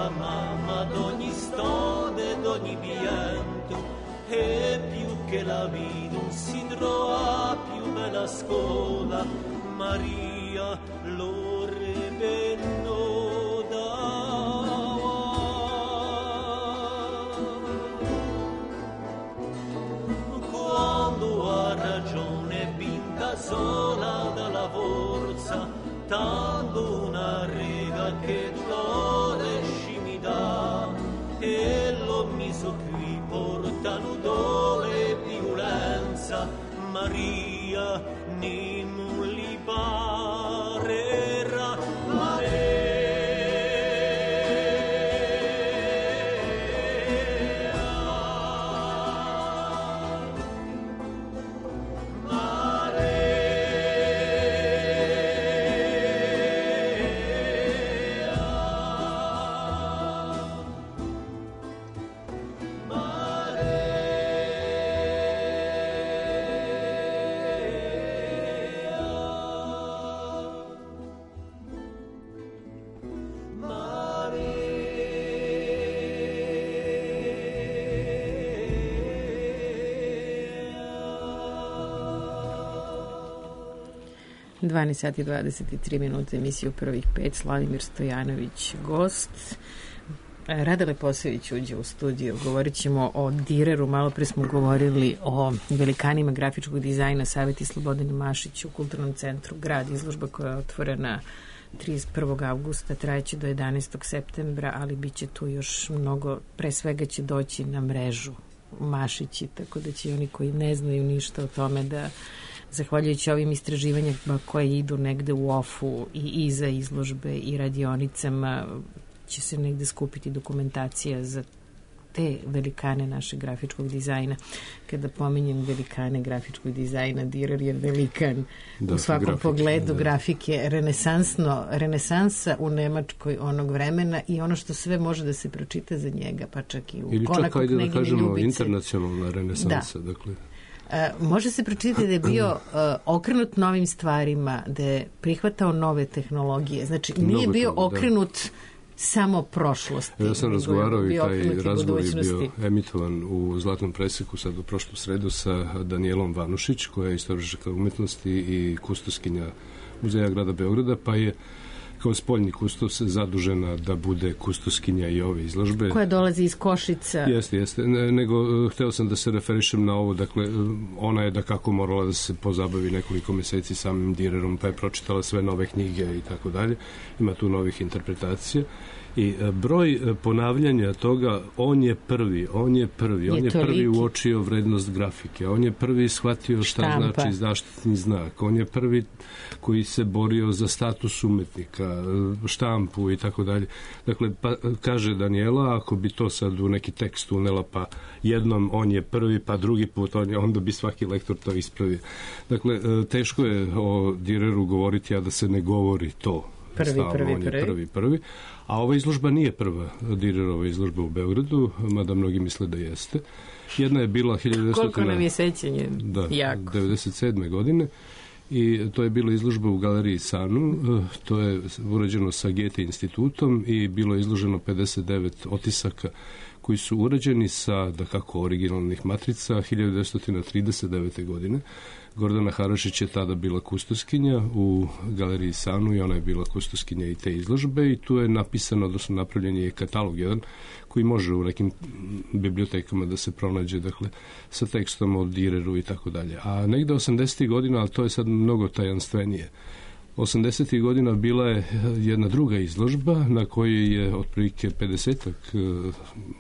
mamma d'ogni stone, d'ogni pianto, e più che la vita non si trova più bella scuola, Maria lo rebenno dava. Quando ha ragione vinta sola dalla forza, tanto una riga che l'ore scimita, e l'ho meso qui portano dole e violenza, Maria non li parerà Dvanaest sati 23 minuta, emisiju Prvih pet, Slavimir Stojanović gost. Rada Leposević uđe u studiju. Govorit ćemo o Direru. Malo pre smo govorili o velikanima grafičkog dizajna Saveti Slobodane Mašić u Kulturnom centru Grad. Izložba koja je otvorena 31. avgusta, trajeće do 11. septembra, ali bit će tu još mnogo. Pre svega će doći na mrežu Mašići, tako da će oni koji ne znaju ništa o tome da, zahvaljujući ovim istraživanjima koje idu negde u ofu i iza izložbe i radionicama, će se negde skupiti dokumentacija za te velikane našeg grafičkog dizajna. Kada pominjem velikane grafičkog dizajna, Direr je velikan u svakom pogledu grafike, renesansa u Nemačkoj onog vremena i ono što sve može da se pročita za njega, pa čak i u ili Konaku čak, ajde da kažemo, Ljubice. Internacionalna renesansa. Da. Dakle. Može se pročitati da je bio okrenut novim stvarima, da je prihvatao nove tehnologije. Znači, nije bio okrenut samo prošlosti. Ja sam razgovarao i taj razgovor je bio emitovan u Zlatnom preseku sad u prošlu sredu sa Danijelom Vanušić, koja je istoričarka umetnosti i kustoskinja Muzeja grada Beograda, pa je kao spoljni kustos zadužena da bude kustoskinja i ove izložbe. Koja dolazi iz Košica. Jeste. Nego, hteo sam da se referišem na ovo, dakle, ona je da kako morala da se pozabavi nekoliko meseci samim Direrom, pa je pročitala sve nove knjige i tako dalje. Ima tu novih interpretacija. I broj ponavljanja toga, on je prvi uočio vrednost grafike, on je prvi shvatio šta znači zaštitni znak, on je prvi koji se borio za status umetnika, štampu i tako dalje. Dakle, pa, kaže Daniela, ako bi to sad u neki tekst unela, pa jednom on je prvi, pa drugi put onda bi svaki lektor to ispravio. Dakle, teško je o Direru govoriti, a da se ne govori to. Prvi. A ova izložba nije prva Direrova izložba u Beogradu, mada mnogi misle da jeste. Jedna je bila 1997. godine i to je bila izložba u galeriji Sanu. To je urađeno sa Goethe institutom i bilo je izloženo 59 otisaka koji su urađeni sa, da kako, originalnih matrica 1939. godine. Gordana Harašić je tada bila kustoskinja u galeriji Sanu i ona je bila kustoskinja i te izložbe i tu je napisano, odnosno napravljen je katalog jedan koji može u nekim bibliotekama da se pronađe, dakle, sa tekstom o Direru i tako dalje. A negde 80. godina, ali to je sad mnogo tajanstvenije, 80. godina bila je jedna druga izložba na kojoj je otprilike 50-ak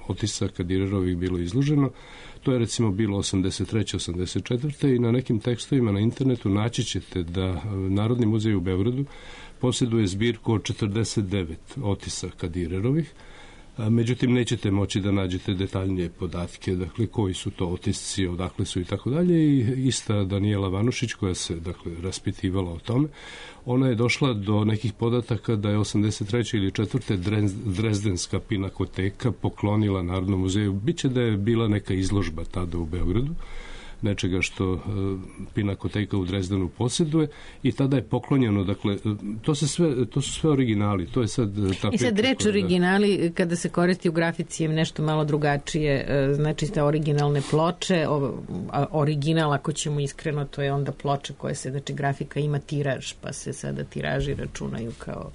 otisaka Direrovih bilo izloženo. To je recimo bilo 83. 84. i na nekim tekstovima na internetu naći ćete da Narodni muzej u Beogradu posjeduje zbirku od 49 otisaka Direrovih. Međutim, nećete moći da nađete detaljnije podatke, dakle, koji su to otisci, odakle su i tako dalje. I ista Daniela Vanušić, koja se, dakle, raspitivala o tome, ona je došla do nekih podataka da je 83. ili 4. Drezdenska pinakoteka poklonila Narodnom muzeju. Biće da je bila neka izložba tada u Beogradu, nečega što Pinakoteka u Drezdenu posjeduje i tada je poklonjeno, dakle, to su sve originali, to je sad ta I sad reč originali, kada se koristi u grafici je nešto malo drugačije, znači te originalne ploče, original, ako ćemo iskreno, to je onda ploča koja se, znači grafika ima tiraž, pa se sada tiraži računaju kao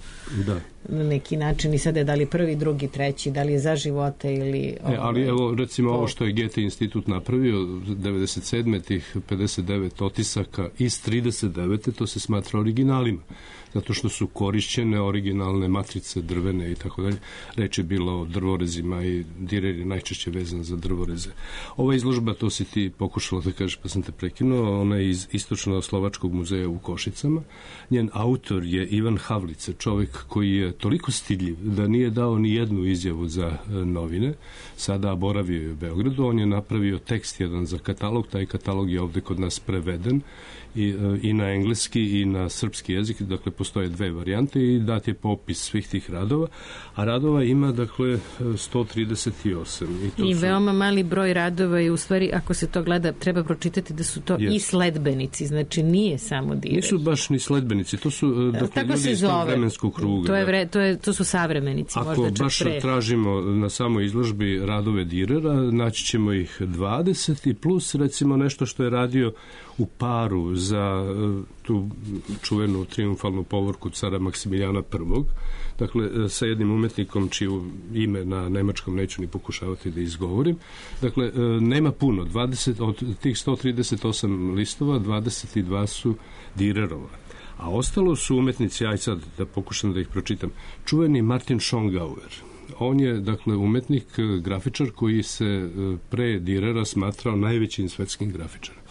na neki način i sada je da li prvi, drugi, treći, da li je za života ili... ali evo, recimo ovo što je Goethe institut napravio 97. tih 59 otisaka iz 39. to se smatra originalima, zato što su korišćene originalne matrice drvene i tako dalje. Reč je bilo o drvorezima i Dürer je najčešće vezan za drvoreze. Ova izložba, to si ti pokušala da kažeš pa sam te prekinuo, ona je iz Istočno-Slovačkog muzeja u Košicama. Njen autor je Ivan Havlice, čovjek koji je toliko stidljiv da nije dao ni jednu izjavu za novine. Sada boravio je u Beogradu, on je napravio tekst jedan za katalog, taj katalog je ovde kod nas preveden i na engleski i na srpski jezik, dakle postoje dve varijante i dat je popis svih tih radova, a radova ima dakle 138. I veoma mali broj radova i u stvari ako se to gleda treba pročitati da su to i sledbenici, znači nije samo Dürer. Nisu baš ni sledbenici, to su dakle ljudi iz tog vremenskog kruga. To su savremenici, ako možda čak baš pre. Tražimo na samoj izložbi radove Dürera, naći ćemo ih 20 i plus recimo nešto što je radio u Paru za tu čuvenu triumfalnu povorku cara Maksimilijana I. Dakle, sa jednim umetnikom čiju ime na nemačkom neću ni pokušavati da izgovorim. Dakle, nema puno. 20, od tih 138 listova, 22 su Dürerova. A ostalo su umetnici, aj sad da pokušam da ih pročitam, čuveni Martin Schongauer. On je, dakle, umetnik, grafičar koji se pre Dürera smatrao najvećim svetskim grafičarom.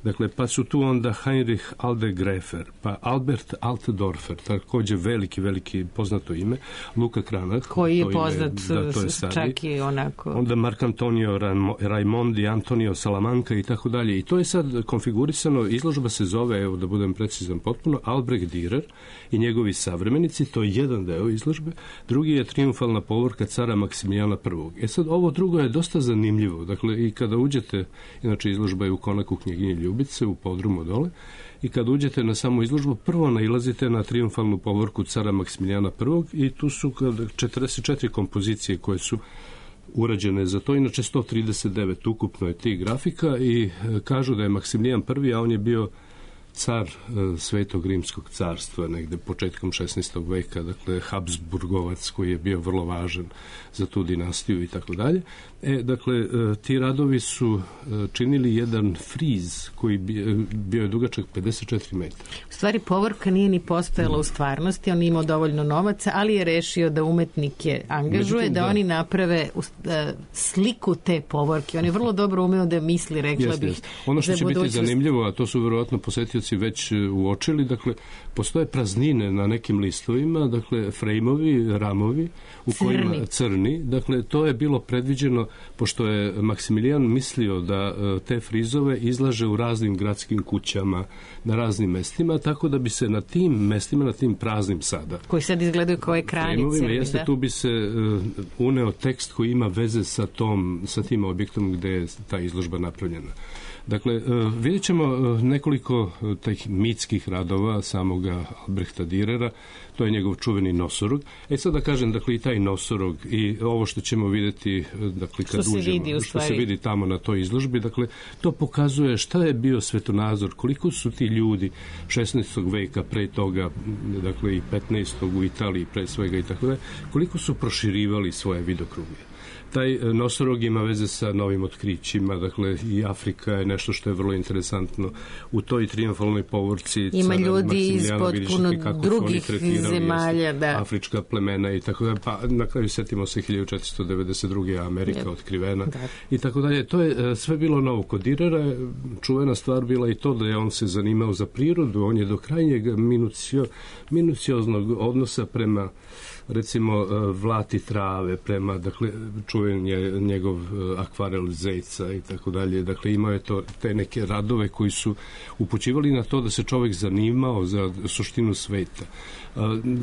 Dakle, pa su tu onda Heinrich Aldegrefer, pa Albert Altdorfer, također veliki poznato ime, Luca Cranach, koji je poznat čak i onako. Onda Marc Antonio Raimondi, Antonio Salamanca i tako dalje. I to je sad konfigurisano, izložba se zove, evo da budem precizan potpuno, Albrecht Dürer i njegovi savremenici, to je jedan deo izložbe, drugi je triumfalna povorka cara Maksimilijana I. Sad, ovo drugo je dosta zanimljivo, dakle, i kada uđete, inače izložba je u Konaku knjiginji Ljubice, u podrumu dole, i kad uđete na samu izložbu, prvo nailazite na triumfalnu povorku cara Maksimilijana I. i tu su 44 kompozicije koje su urađene za to, inače 139 ukupno je tih grafika i kažu da je Maksimilijan I, a on je bio car Svetog Rimskog carstva negde početkom 16. veka, dakle Habsburgovac koji je bio vrlo važan za tu dinastiju i tako dalje. Dakle, ti radovi su činili jedan friz koji bio je dugačak 54 metara. U stvari, povorka nije ni postojala u stvarnosti, on imao dovoljno novaca, ali je rešio da umetnike angažuje, da oni naprave sliku te povorke. On je vrlo dobro umeo da misli, rekla bih. Ono što će biti zanimljivo, a to su verovatno posetioci već uočili, dakle, postoje praznine na nekim listovima, dakle, frejmovi, ramovi, u kojima crni, dakle, to je bilo predviđeno, pošto je Maksimilijan mislio da te frizove izlaže u raznim gradskim kućama, na raznim mestima, tako da bi se na tim mestima, na tim praznim sada, koji sad izgledaju kao ekranice, jeste, tu bi se uneo tekst koji ima veze sa tim objektom gde je ta izložba napravljena. Dakle, vidjet ćemo nekoliko tih mitskih radova samoga Albrechta Dürera, to je njegov čuveni nosorog. Sad da kažem, dakle, i taj nosorog i ovo što ćemo vidjeti, dakle, kad uđemo, što se vidi tamo na toj izložbi, dakle, to pokazuje šta je bio svetonazor, koliko su ti ljudi 16. veka pre toga, dakle, i 15. u Italiji pre svega i tako da, koliko su proširivali svoje vidokruge. Taj nosorog ima veze sa novim otkrićima, dakle i Afrika je nešto što je vrlo interesantno. U toj triumfalnoj povorci ima ljudi iz potpuno drugih zemalja, da. Afrička plemena i tako da, pa na kraju setimo se 1492. Amerika otkrivena i tako dalje. To je sve bilo novo. Kod Dürera čuvena stvar bila i to da je on se zanimao za prirodu, on je do krajnjeg minucioznog odnosa prema recimo Vlati trave prema, dakle, čuven je njegov akvarel Zejca i tako dalje. Dakle, imao je te neke radove koji su upućivali na to da se čovjek zanimao za suštinu sveta.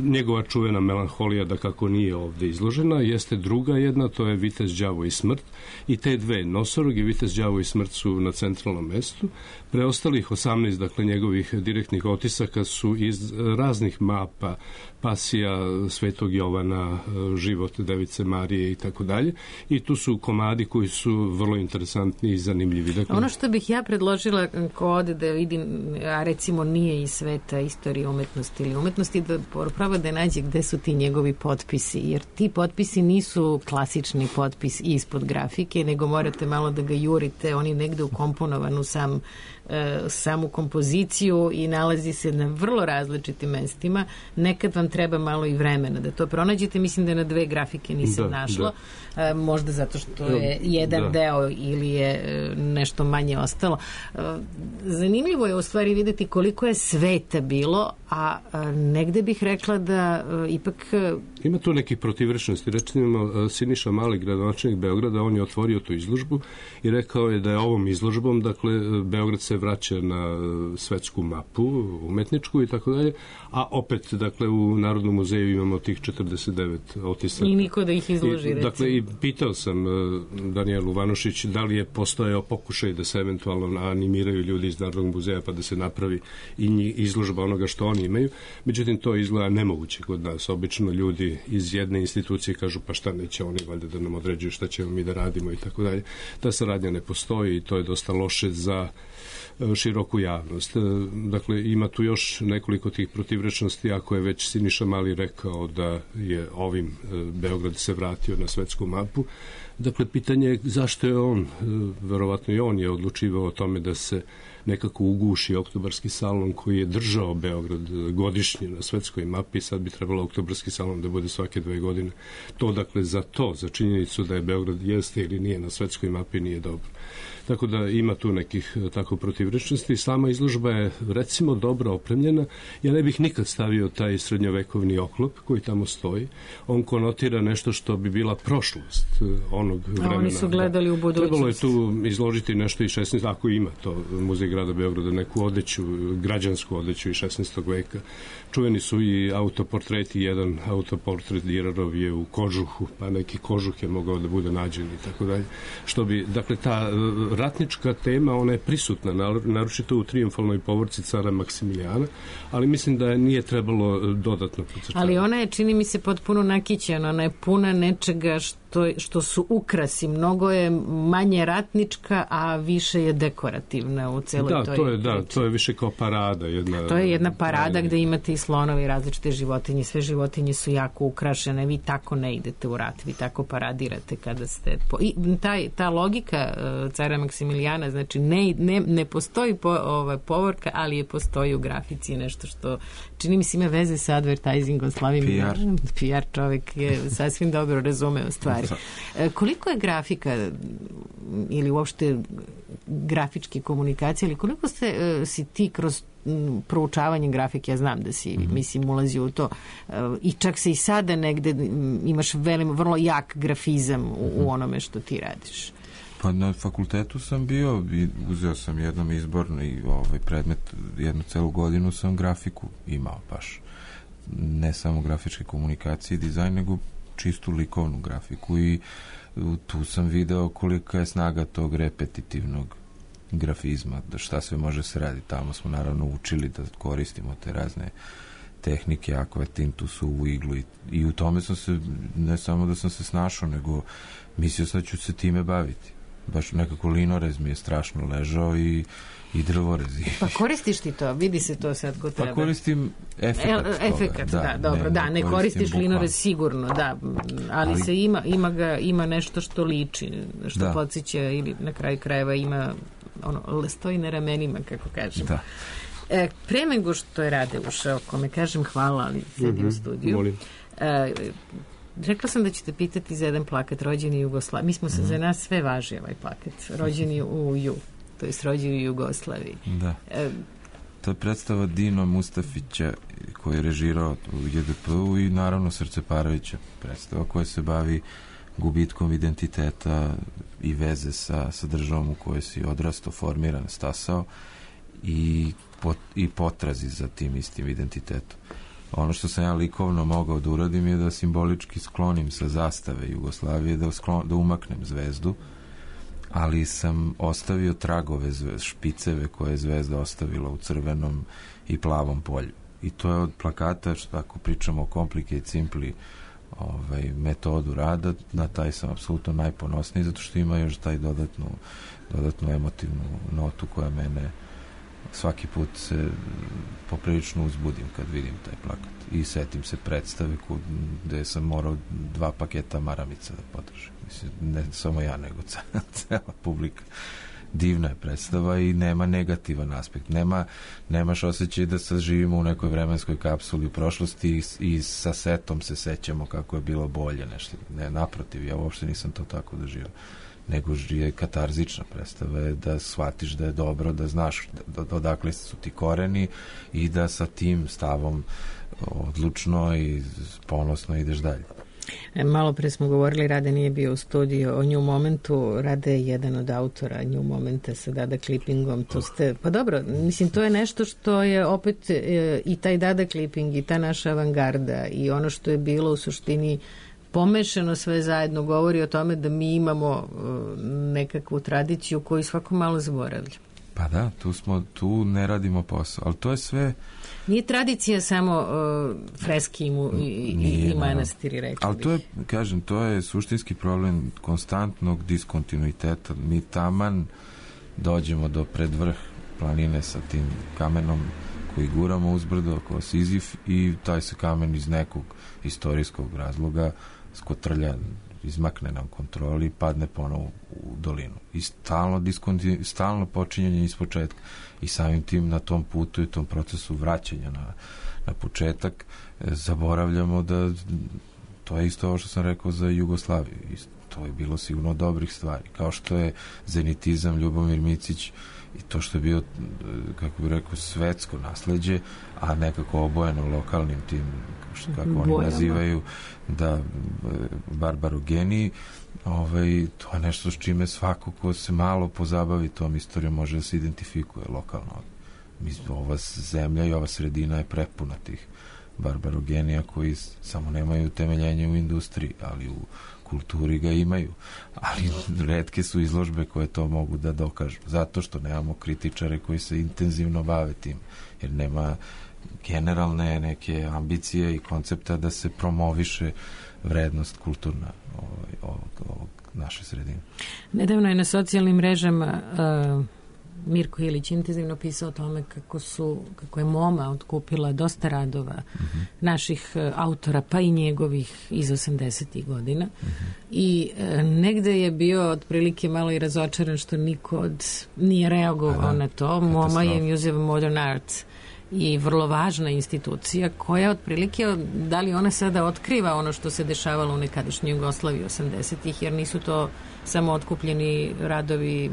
Njegova čuvena melanholija, da kako nije ovde izložena, jeste druga jedna, to je Vitez, đavo i smrt, i te dve, Nosorog i Vitez, đavo i smrt, su na centralnom mestu. Preostalih 18, dakle, njegovih direktnih otisaka su iz raznih mapa, Pasija Svetog Jovana, život Device Marije i tako dalje, i tu su komadi koji su vrlo interesantni i zanimljivi. Dakle, ono što bih ja predložila ko ode da vidim, a recimo nije iz sveta istorije umetnosti ili umetnosti, da pravo da nađe gde su ti njegovi potpisi, jer ti potpisi nisu klasični potpis ispod grafike, nego morate malo da ga jurite, oni negde ukomponovan u samu kompoziciju i nalazi se na vrlo različitim mestima. Nekad vam treba malo i vremena da to pronađete. Mislim da na dve grafike nisam našla. Možda zato što je jedan deo ili je nešto manje ostalo. Zanimljivo je u stvari videti koliko je sveta bilo, a negde bih rekla da ipak... Ima tu nekih protivrečnosti. Recimo, Siniša Mali, gradonačelnik Beograda, on je otvorio tu izložbu i rekao je da je ovom izložbom, dakle, Beograd se vraća na svetsku mapu, umetničku i tako dalje, a opet, dakle, u Narodnom muzeju imamo tih 49 otisaka. I niko da ih izloži, recimo. Dakle, i pitao sam Danijelu Vanušić da li je postojao pokušaj da se eventualno animiraju ljudi iz Narodnog muzeja pa da se napravi i izložba onoga što oni imaju. Međutim, to izgleda nemoguće kod nas. Obično ljudi iz jedne institucije kažu pa šta neće oni valjda da nam određuju šta ćemo mi da radimo i tako dalje. Ta saradnja ne postoji i to je dosta loše za široku javnost. Dakle, ima tu još nekoliko tih protivrečnosti, ako je već Siniša Mali rekao da je ovim Beograd se vratio na svetsku mapu. Dakle, pitanje je zašto je on, verovatno i on je odlučivao o tome da se nekako uguši Oktobarski salon koji je držao Beograd godišnje na svetskoj mapi, sad bi trebalo Oktobarski salon da bude svake 2 godine. To, dakle, za činjenicu da je Beograd jeste ili nije na svetskoj mapi nije dobro. Tako da ima tu nekih tako protivrečnosti. Sama izložba je, recimo, dobro opremljena. Ja ne bih nikad stavio taj srednjovekovni oklop koji tamo stoji. On konotira nešto što bi bila prošlost onog vremena. A oni su gledali u budućnost. Trebalo je tu izložiti nešto iz 16. Ako ima to Muzej grada Beograda, neku odeću, građansku odeću iz 16. veka. Čuveni su i autoportreti. Jedan autoportret Dirarov je u kožuhu, pa neki kožuh je mogao da bude nađen i tako dalje. Što bi, dakle, ta ratnička tema, ona je prisutna, naročito u trijumfalnoj povorci cara Maksimilijana, ali mislim da je nije trebalo dodatno podcrtavati. Ali ona je, čini mi se, potpuno nakićena, ona je puna nečega što su ukrasi. Mnogo je manje ratnička, a više je dekorativna u celoj toj priči. To je više kao parada. To je jedna parada gde imate i slonovi, različite životinje, sve životinje su jako ukrašene, vi tako ne idete u rat, vi tako paradirate kada ste... I ta logika cara Maksimilijana, znači ne postoji povorka, ali je postoji u grafici nešto što čini mi se ima veze sa advertisingom, slavim PR čovek je sasvim dobro razumeo stvari. Koliko je grafika ili uopšte grafičke komunikacije, ili koliko si ti kroz proučavanje grafike, ja znam da si mislim ulazi u to i čak se i sada negde imaš vrlo jak grafizam u onome što ti radiš. Pa na fakultetu sam bio i uzeo sam jednom izborni predmet, jednu celu godinu sam grafiku imao baš. Ne samo grafičke komunikacije i dizajn, nego čistu likovnu grafiku i tu sam video kolika je snaga tog repetitivnog grafizma, da šta sve može se raditi. Tamo smo naravno učili da koristimo te razne tehnike, akvatintu, suvu iglu i u tome sam se, ne samo da sam se snašao, nego mislio sam da ću se time baviti. Baš nekako linorez mi je strašno ležao i drvorez. Pa koristiš ti to? Vidi se to sad ko treba. Pa koristim efekat. Ne koristiš linorez sigurno, da. Ali se ima nešto što liči, što podsjeća ili na kraju krajeva ima stoji na ramenima, kako kažem. Da. Pre nego što je Rade ušao, kome kažem hvala, ali sedi u studiju. Molim. Rekla sam da ćete pitati za jedan plakat Rođeni u Jugoslaviji. Mi smo se za nas sve važi ovaj plakat. Rođeni u to jest rođeni u Jugoslaviji. Da. To je predstava Dino Mustafića koji je režirao u JDP-u i naravno Srceparavića predstava koja se bavi gubitkom identiteta i veze sa državom u kojoj si odrastao, formiran, stasao i potrazi za tim istim identitetom. Ono što sam ja likovno mogao da uradim je da simbolički sklonim sa zastave Jugoslavije, da umaknem zvezdu, ali sam ostavio tragove špiceve koje je zvezda ostavila u crvenom i plavom polju. I to je od plakata, ako pričamo o Complicate Simply metodu rada, na taj sam apsolutno najponosniji, zato što ima još taj dodatnu emotivnu notu koja mene svaki put se poprilično uzbudim kad vidim taj plakat. I setim se predstave gde sam morao 2 paketa maramica da podržim. Mislim, ne samo ja, nego cela publika. Divna je predstava i nema negativan aspekt. Nemaš osjećaj da sad živimo u nekoj vremenskoj kapsuli u prošlosti i sa setom se sećamo kako je bilo bolje nešto. Ne, naprotiv, ja uopšte nisam to tako doživio. Nego je katarzična predstava, je da shvatiš da je dobro, da znaš odakle su ti koreni i da sa tim stavom odlučno i ponosno ideš dalje. Malo pre smo govorili, Rade nije bio u studiju o New Momentu. Rade je jedan od autora New Momenta sa Dada Clippingom. Pa dobro, mislim, to je nešto što je opet i taj Dada Clipping i ta naša avangarda i ono što je bilo u suštini pomešano sve zajedno govori o tome da mi imamo nekakvu tradiciju koju svako malo zaboravlja. Pa da, tu ne radimo posao, ali to je sve... Nije tradicija samo freski i manastiri, rekli. Ali to je, kažem, to je suštinski problem konstantnog diskontinuiteta. Mi taman dođemo do predvrh planine sa tim kamenom koji guramo uzbrdo kao Sizif i taj se kamen iz nekog istorijskog razloga skotrlja, izmakne nam kontroli i padne ponovo u dolinu. I stalno počinjanje iz početka. I samim tim na tom putu i tom procesu vraćanja na početak zaboravljamo da to je isto ovo što sam rekao za Jugoslaviju. To je bilo sigurno dobrih stvari. Kao što je zenitizam, Ljubomir Micić i to što je bio, kako bih rekao, svetsko nasleđe, a nekako obojeno lokalnim tim, kako oni nazivaju, da barbarogeniji, to je nešto s čime svako ko se malo pozabavi tom istorijom može da se identifikuje lokalno. Ova zemlja i ova sredina je prepuna tih barbarogenija koji samo nemaju temeljenje u industriji, ali u kulturi ga imaju. Ali retke su izložbe koje to mogu da dokažu. Zato što nemamo kritičare koji se intenzivno bave tim. Jer nema generalne neke ambicije i koncepta da se promoviše vrednost kulturna ovog naše sredine. Nedavno je na socijalnim mrežama Mirko Ilić intenzivno pisao o tome kako je MoMA otkupila dosta radova naših autora, pa i njegovih iz 80. godina. I negde je bio otprilike malo i razočaran što niko nije reagovao na to. MoMA je Museum of Modern Art i vrlo važna institucija koja otprilike, da li ona sada otkriva ono što se dešavalo u nekadašnjoj Jugoslaviji 80-ih, jer nisu to samo otkupljeni radovi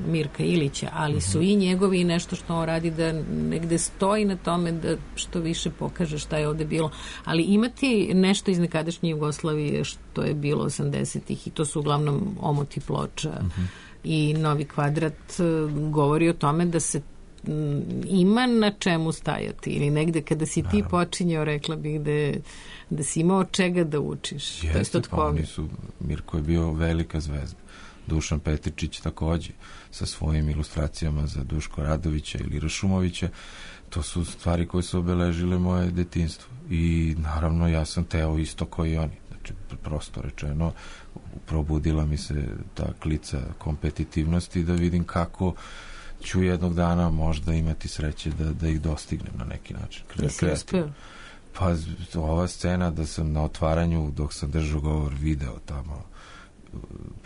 Mirka Ilića, ali su i njegovi i nešto što on radi da negde stoji na tome da što više pokaže šta je ovde bilo. Ali imati nešto iz nekadašnje Jugoslavije što je bilo 80-ih i to su uglavnom omoti ploča i Novi kvadrat govori o tome da se ima na čemu stajati ili negde kada si ti počinjao, rekla bih da si imao čega da učiš. Jeste, pa Mirko je bio velika zvezda. Dušan Petričić takođe sa svojim ilustracijama za Duško Radovića ili Rašumovića. To su stvari koje su obeležile moje detinjstvo i naravno ja sam teo isto kao i oni. Znači, prosto rečeno, probudila mi se ta klica kompetitivnosti da vidim kako ću jednog dana možda imati sreće da ih dostignem na neki način. Pa ova scena da sam na otvaranju dok sam držao govor video tamo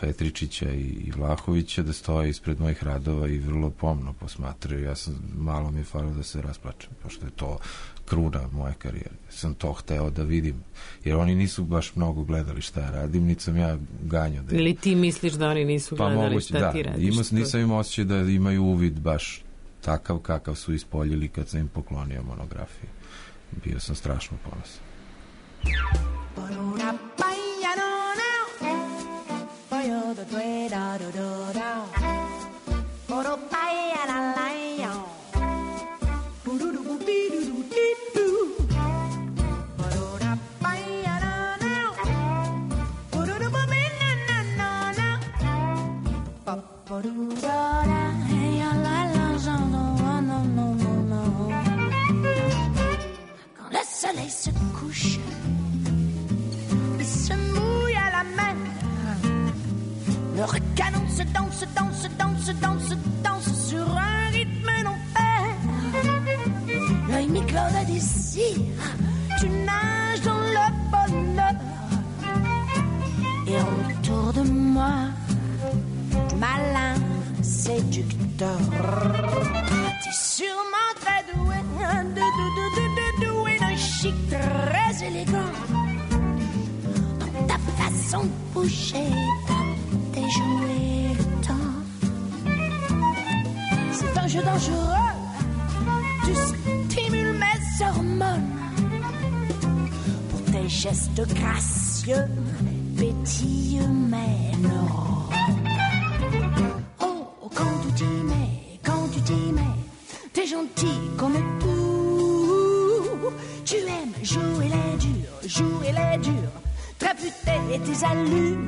Petričića i Vlahovića da stoje ispred mojih radova i vrlo pomno posmatraju. Malo mi je falilo da se rasplačem, pošto je to kruna moje karijere. Sam to hteo da vidim, jer oni nisu baš mnogo gledali šta ja radim, niti sam ja ganjao. Ili ti misliš da oni nisu gledali šta ti radiš? Nisam imao osjećaj da imaju uvid baš takav kakav su ispoljili kad sam im poklonio monografiju. Bio sam strašno ponosan. Quand le soleil se couche, il se mouille à la mer. Le recanon se danse, danse, danse, danse, danse sur un rythme d'enfer. L'œil mi-clos de désir, tu nages dans le bonheur. Et autour de moi, malin séducteur. T'es sûrement très doué, doué d'un chic très élégant. Dans ta façon de bouger, t'as déjoué le temps. C'est un jeu dangereux, tu stimules mes hormones. Pour tes gestes gracieux, pétillent mes neurones. Quand tu t'y mets, t'es gentil comme tout. Tu aimes jouer les durs, traputer tes allures.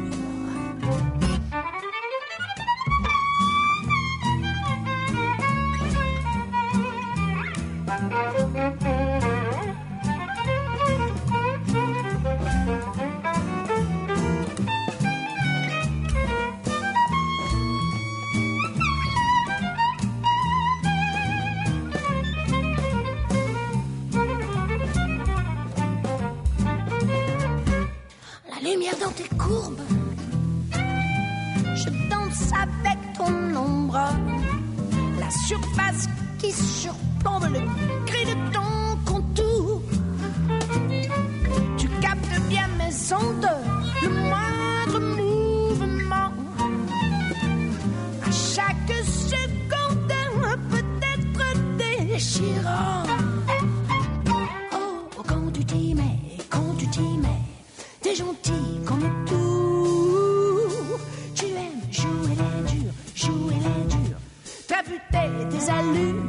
Lumière dans tes courbes, je danse avec ton ombre. La surface qui surplombe le gris de ton contour. Tu captes bien mes ondes, le moindre mouvement. À chaque seconde, peut-être déchirant. Oh, quand tu t'y mets, t'es gentil comme tout. Tu aimes jouer les durs, traputer tes allures.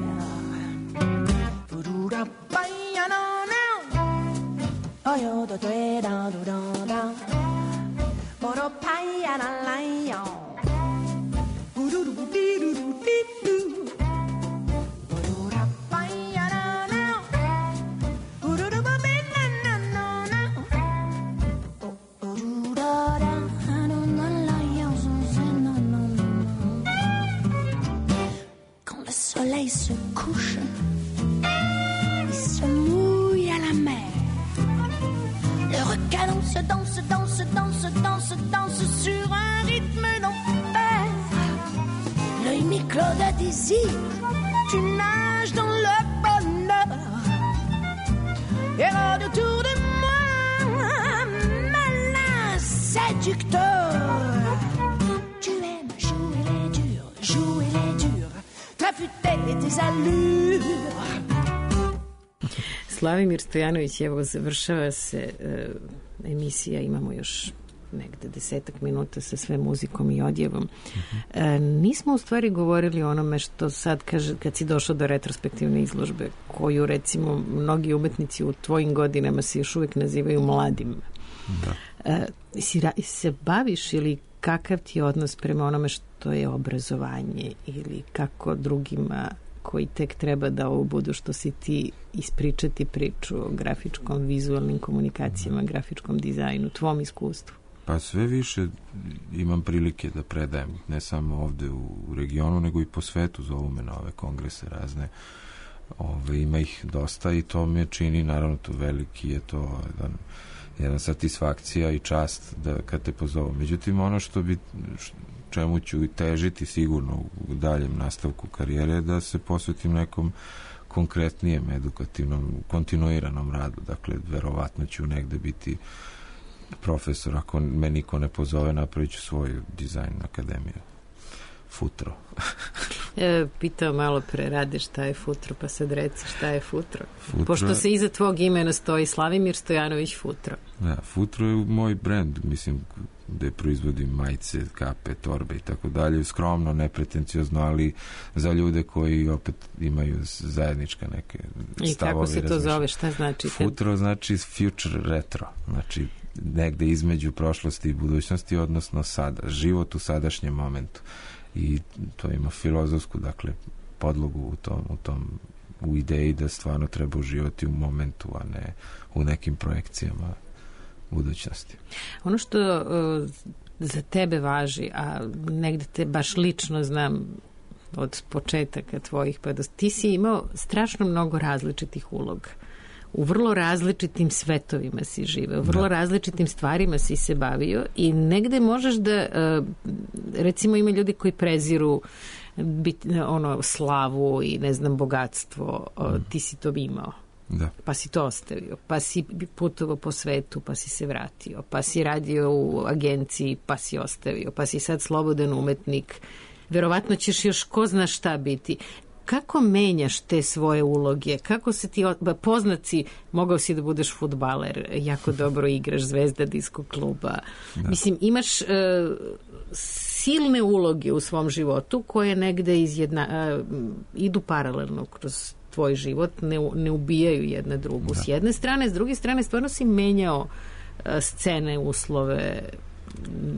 Se couche, il se mouille à la mer. Le recanon se danse, danse, danse, danse, danse sur un rythme d'enfer. L'œil mi-clos de désir, tu nages dans le bonheur. Et autour de moi, malin séducteur. Tu aimes jouer les durs, traputer tes allures. Slavimir Stojanović, evo završava se emisija, imamo još negde 10 minuta sa sve muzikom i odjevom. Nismo u stvari govorili o onome što sad kaže, kad si došao do retrospektivne izložbe, koju recimo mnogi umetnici u tvojim godinama se još uvijek nazivaju mladim. Da. Se baviš ili kakav ti je odnos prema onome što je obrazovanje ili kako drugima koji tek treba da ovo budu što si ti ispričati priču o grafičkom, vizualnim komunikacijama, grafičkom dizajnu, tvom iskustvu? Pa sve više imam prilike da predajem, ne samo ovde u regionu, nego i po svetu, zovu me na ove kongrese razne. Ima ih dosta i to me čini, naravno, to veliki je to jedna satisfakcija i čast da kad te pozovu. Međutim, ono čemu ću težiti sigurno u daljem nastavku karijere, da se posvetim nekom konkretnijem, edukativnom, kontinuiranom radu. Dakle, verovatno ću negde biti profesor, ako me niko ne pozove, napravit ću svoju dizajn akademiju. Futro. Pitao malo pre, Rade, šta je Futro, pa sad reci šta je Futro. Pošto se iza tvog imena stoji Slavimir Stojanović Futro. Da, Futro je moj brend, mislim, gde proizvodim majice, kape, torbe i tako dalje, skromno, nepretenciozno, ali za ljude koji opet imaju zajednička neke stavove. I kako se to zove, šta znači? Futuro znači future retro, znači negde između prošlosti i budućnosti, odnosno sada, život u sadašnjem momentu. I to ima filozofsku, dakle, podlogu u ideji da stvarno treba uživati u momentu, a ne u nekim projekcijama budućnosti. Ono što za tebe važi, a negde te baš lično znam od početaka tvojih, pa ti si imao strašno mnogo različitih uloga. U vrlo različitim svetovima si živeo, u vrlo različitim stvarima si se bavio i negde možeš da, recimo ima ljudi koji preziru slavu i ne znam bogatstvo, ti si to imao. Da. Pa si to ostavio, pa si putovao po svetu, pa si se vratio, pa si radio u agenciji, pa si ostavio, pa si sad slobodan umetnik. Verovatno ćeš još ko zna šta biti. Kako menjaš te svoje uloge? Kako se ti poznat si, mogao si da budeš fudbaler, jako dobro igraš, zvezda disko kluba. Da. Mislim, imaš silne uloge u svom životu koje negde idu paralelno kroz tvoj život, ne ubijaju jedna drugu. Da. S jedne strane, s druge strane, stvarno si menjao scene, uslove,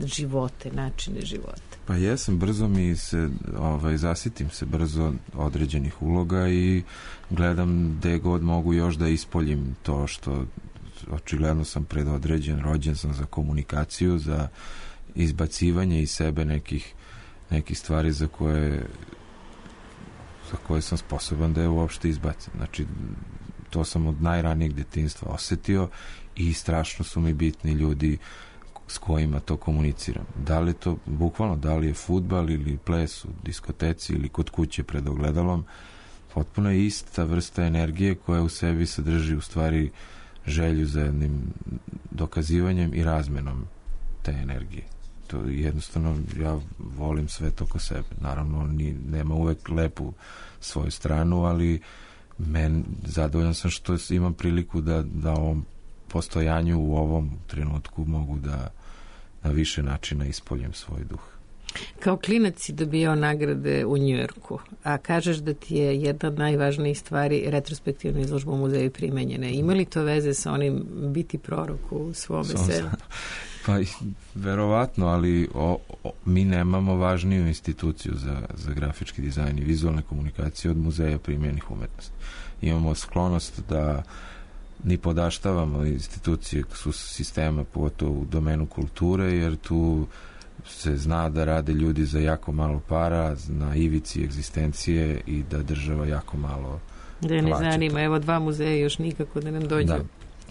živote, načine života. Pa jesam, brzo mi se zasitim se brzo određenih uloga i gledam gde god mogu još da ispoljim to što očigledno sam predodređen, rođen sam za komunikaciju, za izbacivanje iz sebe nekih stvari za koje sam sposoban da je uopšte izbacim. Znači, to sam od najranijeg detinjstva osetio i strašno su mi bitni ljudi s kojima to komuniciram. Da li to, bukvalno, da li je fudbal ili ples u diskoteci ili kod kuće pred ogledalom, potpuno je ista vrsta energije koja u sebi sadrži u stvari želju za jednim dokazivanjem i razmenom te energije. To jednostavno, ja volim sve to oko sebe. Naravno, nema uvek lepu svoju stranu, ali zadovoljan sam što imam priliku da ovom postojanju u ovom trenutku mogu da na više načina ispoljem svoj duh. Kao klinac si dobijao nagrade u Njujorku, a kažeš da ti je jedna od najvažnijih stvari retrospektivna izložba u muzeju primenjene. Ima li to veze sa onim biti prorok u svome selu? Pa, verovatno, ali mi nemamo važniju instituciju za grafički dizajn i vizualne komunikacije od muzeja primenjenih umetnosti. Imamo sklonost da ni podaštavamo institucije sistema, pogotovo u domenu kulture, jer tu se zna da rade ljudi za jako malo para, na ivici egzistencije i da država jako malo da ne zanima, evo 2 muzeja još nikako da nam dođu. Da.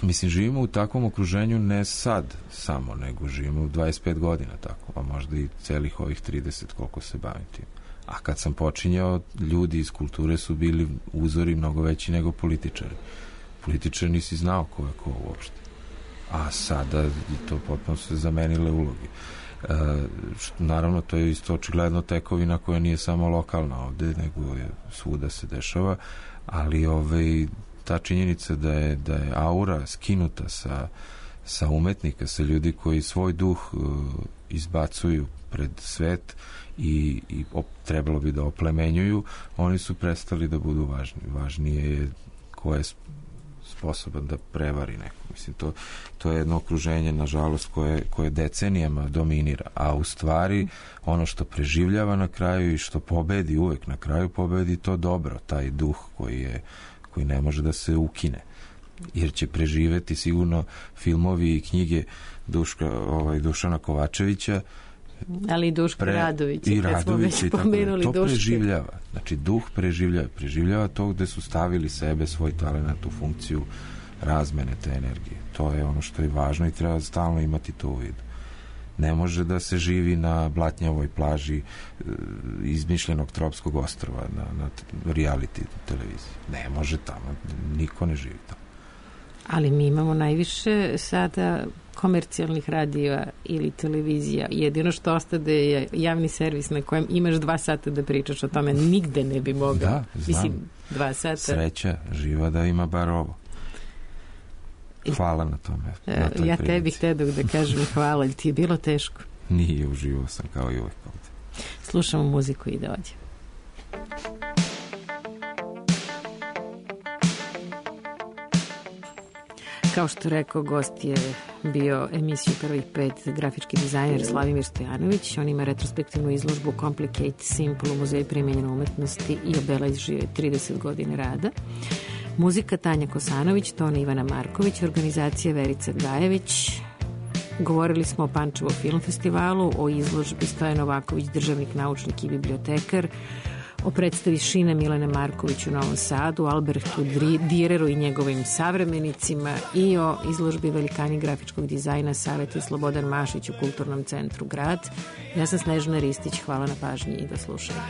Mislim, živimo u takvom okruženju ne sad samo, nego živimo u 25 godina tako, a možda i celih ovih 30 koliko se bavim tim. A kad sam počinjao, ljudi iz kulture su bili uzori mnogo veći nego političari. Političar nisi znao ko je ko uopšte. A sada to potpuno se zamenile ulogi. Naravno, to je isto očigledno tekovina koja nije samo lokalna ovde, nego je svuda se dešava, ali ta činjenica da je aura skinuta sa umetnika, sa ljudi koji svoj duh izbacuju pred svet i trebalo bi da oplemenjuju, oni su prestali da budu važni. Važnije je ko je sposoban da prevari neko. Mislim, to je jedno okruženje, nažalost, koje decenijama dominira, a u stvari ono što preživljava na kraju i što pobedi uvek na kraju, pobedi to dobro, taj duh koji ne može da se ukine, jer će preživeti sigurno filmovi i knjige Dušana Kovačevića, ali i Duška Radovića, i Radovića, to preživljava. Znači, duh preživljava to gde su stavili sebe, svoj talent u funkciju razmene te energije. To je ono što je važno i treba stalno imati to u vidu. Ne može da se živi na blatnjavoj plaži izmišljenog tropskog ostrva na reality televiziji. Ne može tamo, niko ne živi tamo. Ali mi imamo najviše sada komercijalnih radija ili televizija. Jedino što ostade je javni servis na kojem imaš 2 sata da pričaš o tome. Nigde ne bi mogao. Da, znam. Mislim, 2 sata. Sreća živa da ima bar ovo. Hvala na tome. Na ja tebi htedog da kažem hvala, ali ti je bilo teško. Nije, uživao sam kao i uvek ovde. Slušamo muziku i dođe. Kao što rekao, gost je bio emisiju Prvih 5 grafički dizajner Slavimir Stojanović. On ima retrospektivnu izložbu Complicate Simple u Muzeju primenjene umetnosti i obeležio je 30 godina rada. Muzika Tanja Kosanović, ton Ivana Marković, organizacija Verica Gajević. Govorili smo o Pančevo film festivalu, o izložbi Stojan Novaković, državnik, naučnik i bibliotekar, o predstavi Šine Milene Marković u Novom Sadu, Albertu Direru i njegovim savremenicima i o izložbi Velikani grafičkog dizajna Saveta Slobodan Mašić u Kulturnom centru Grad. Ja sam Snežana Ristić, hvala na pažnji i do slušanja.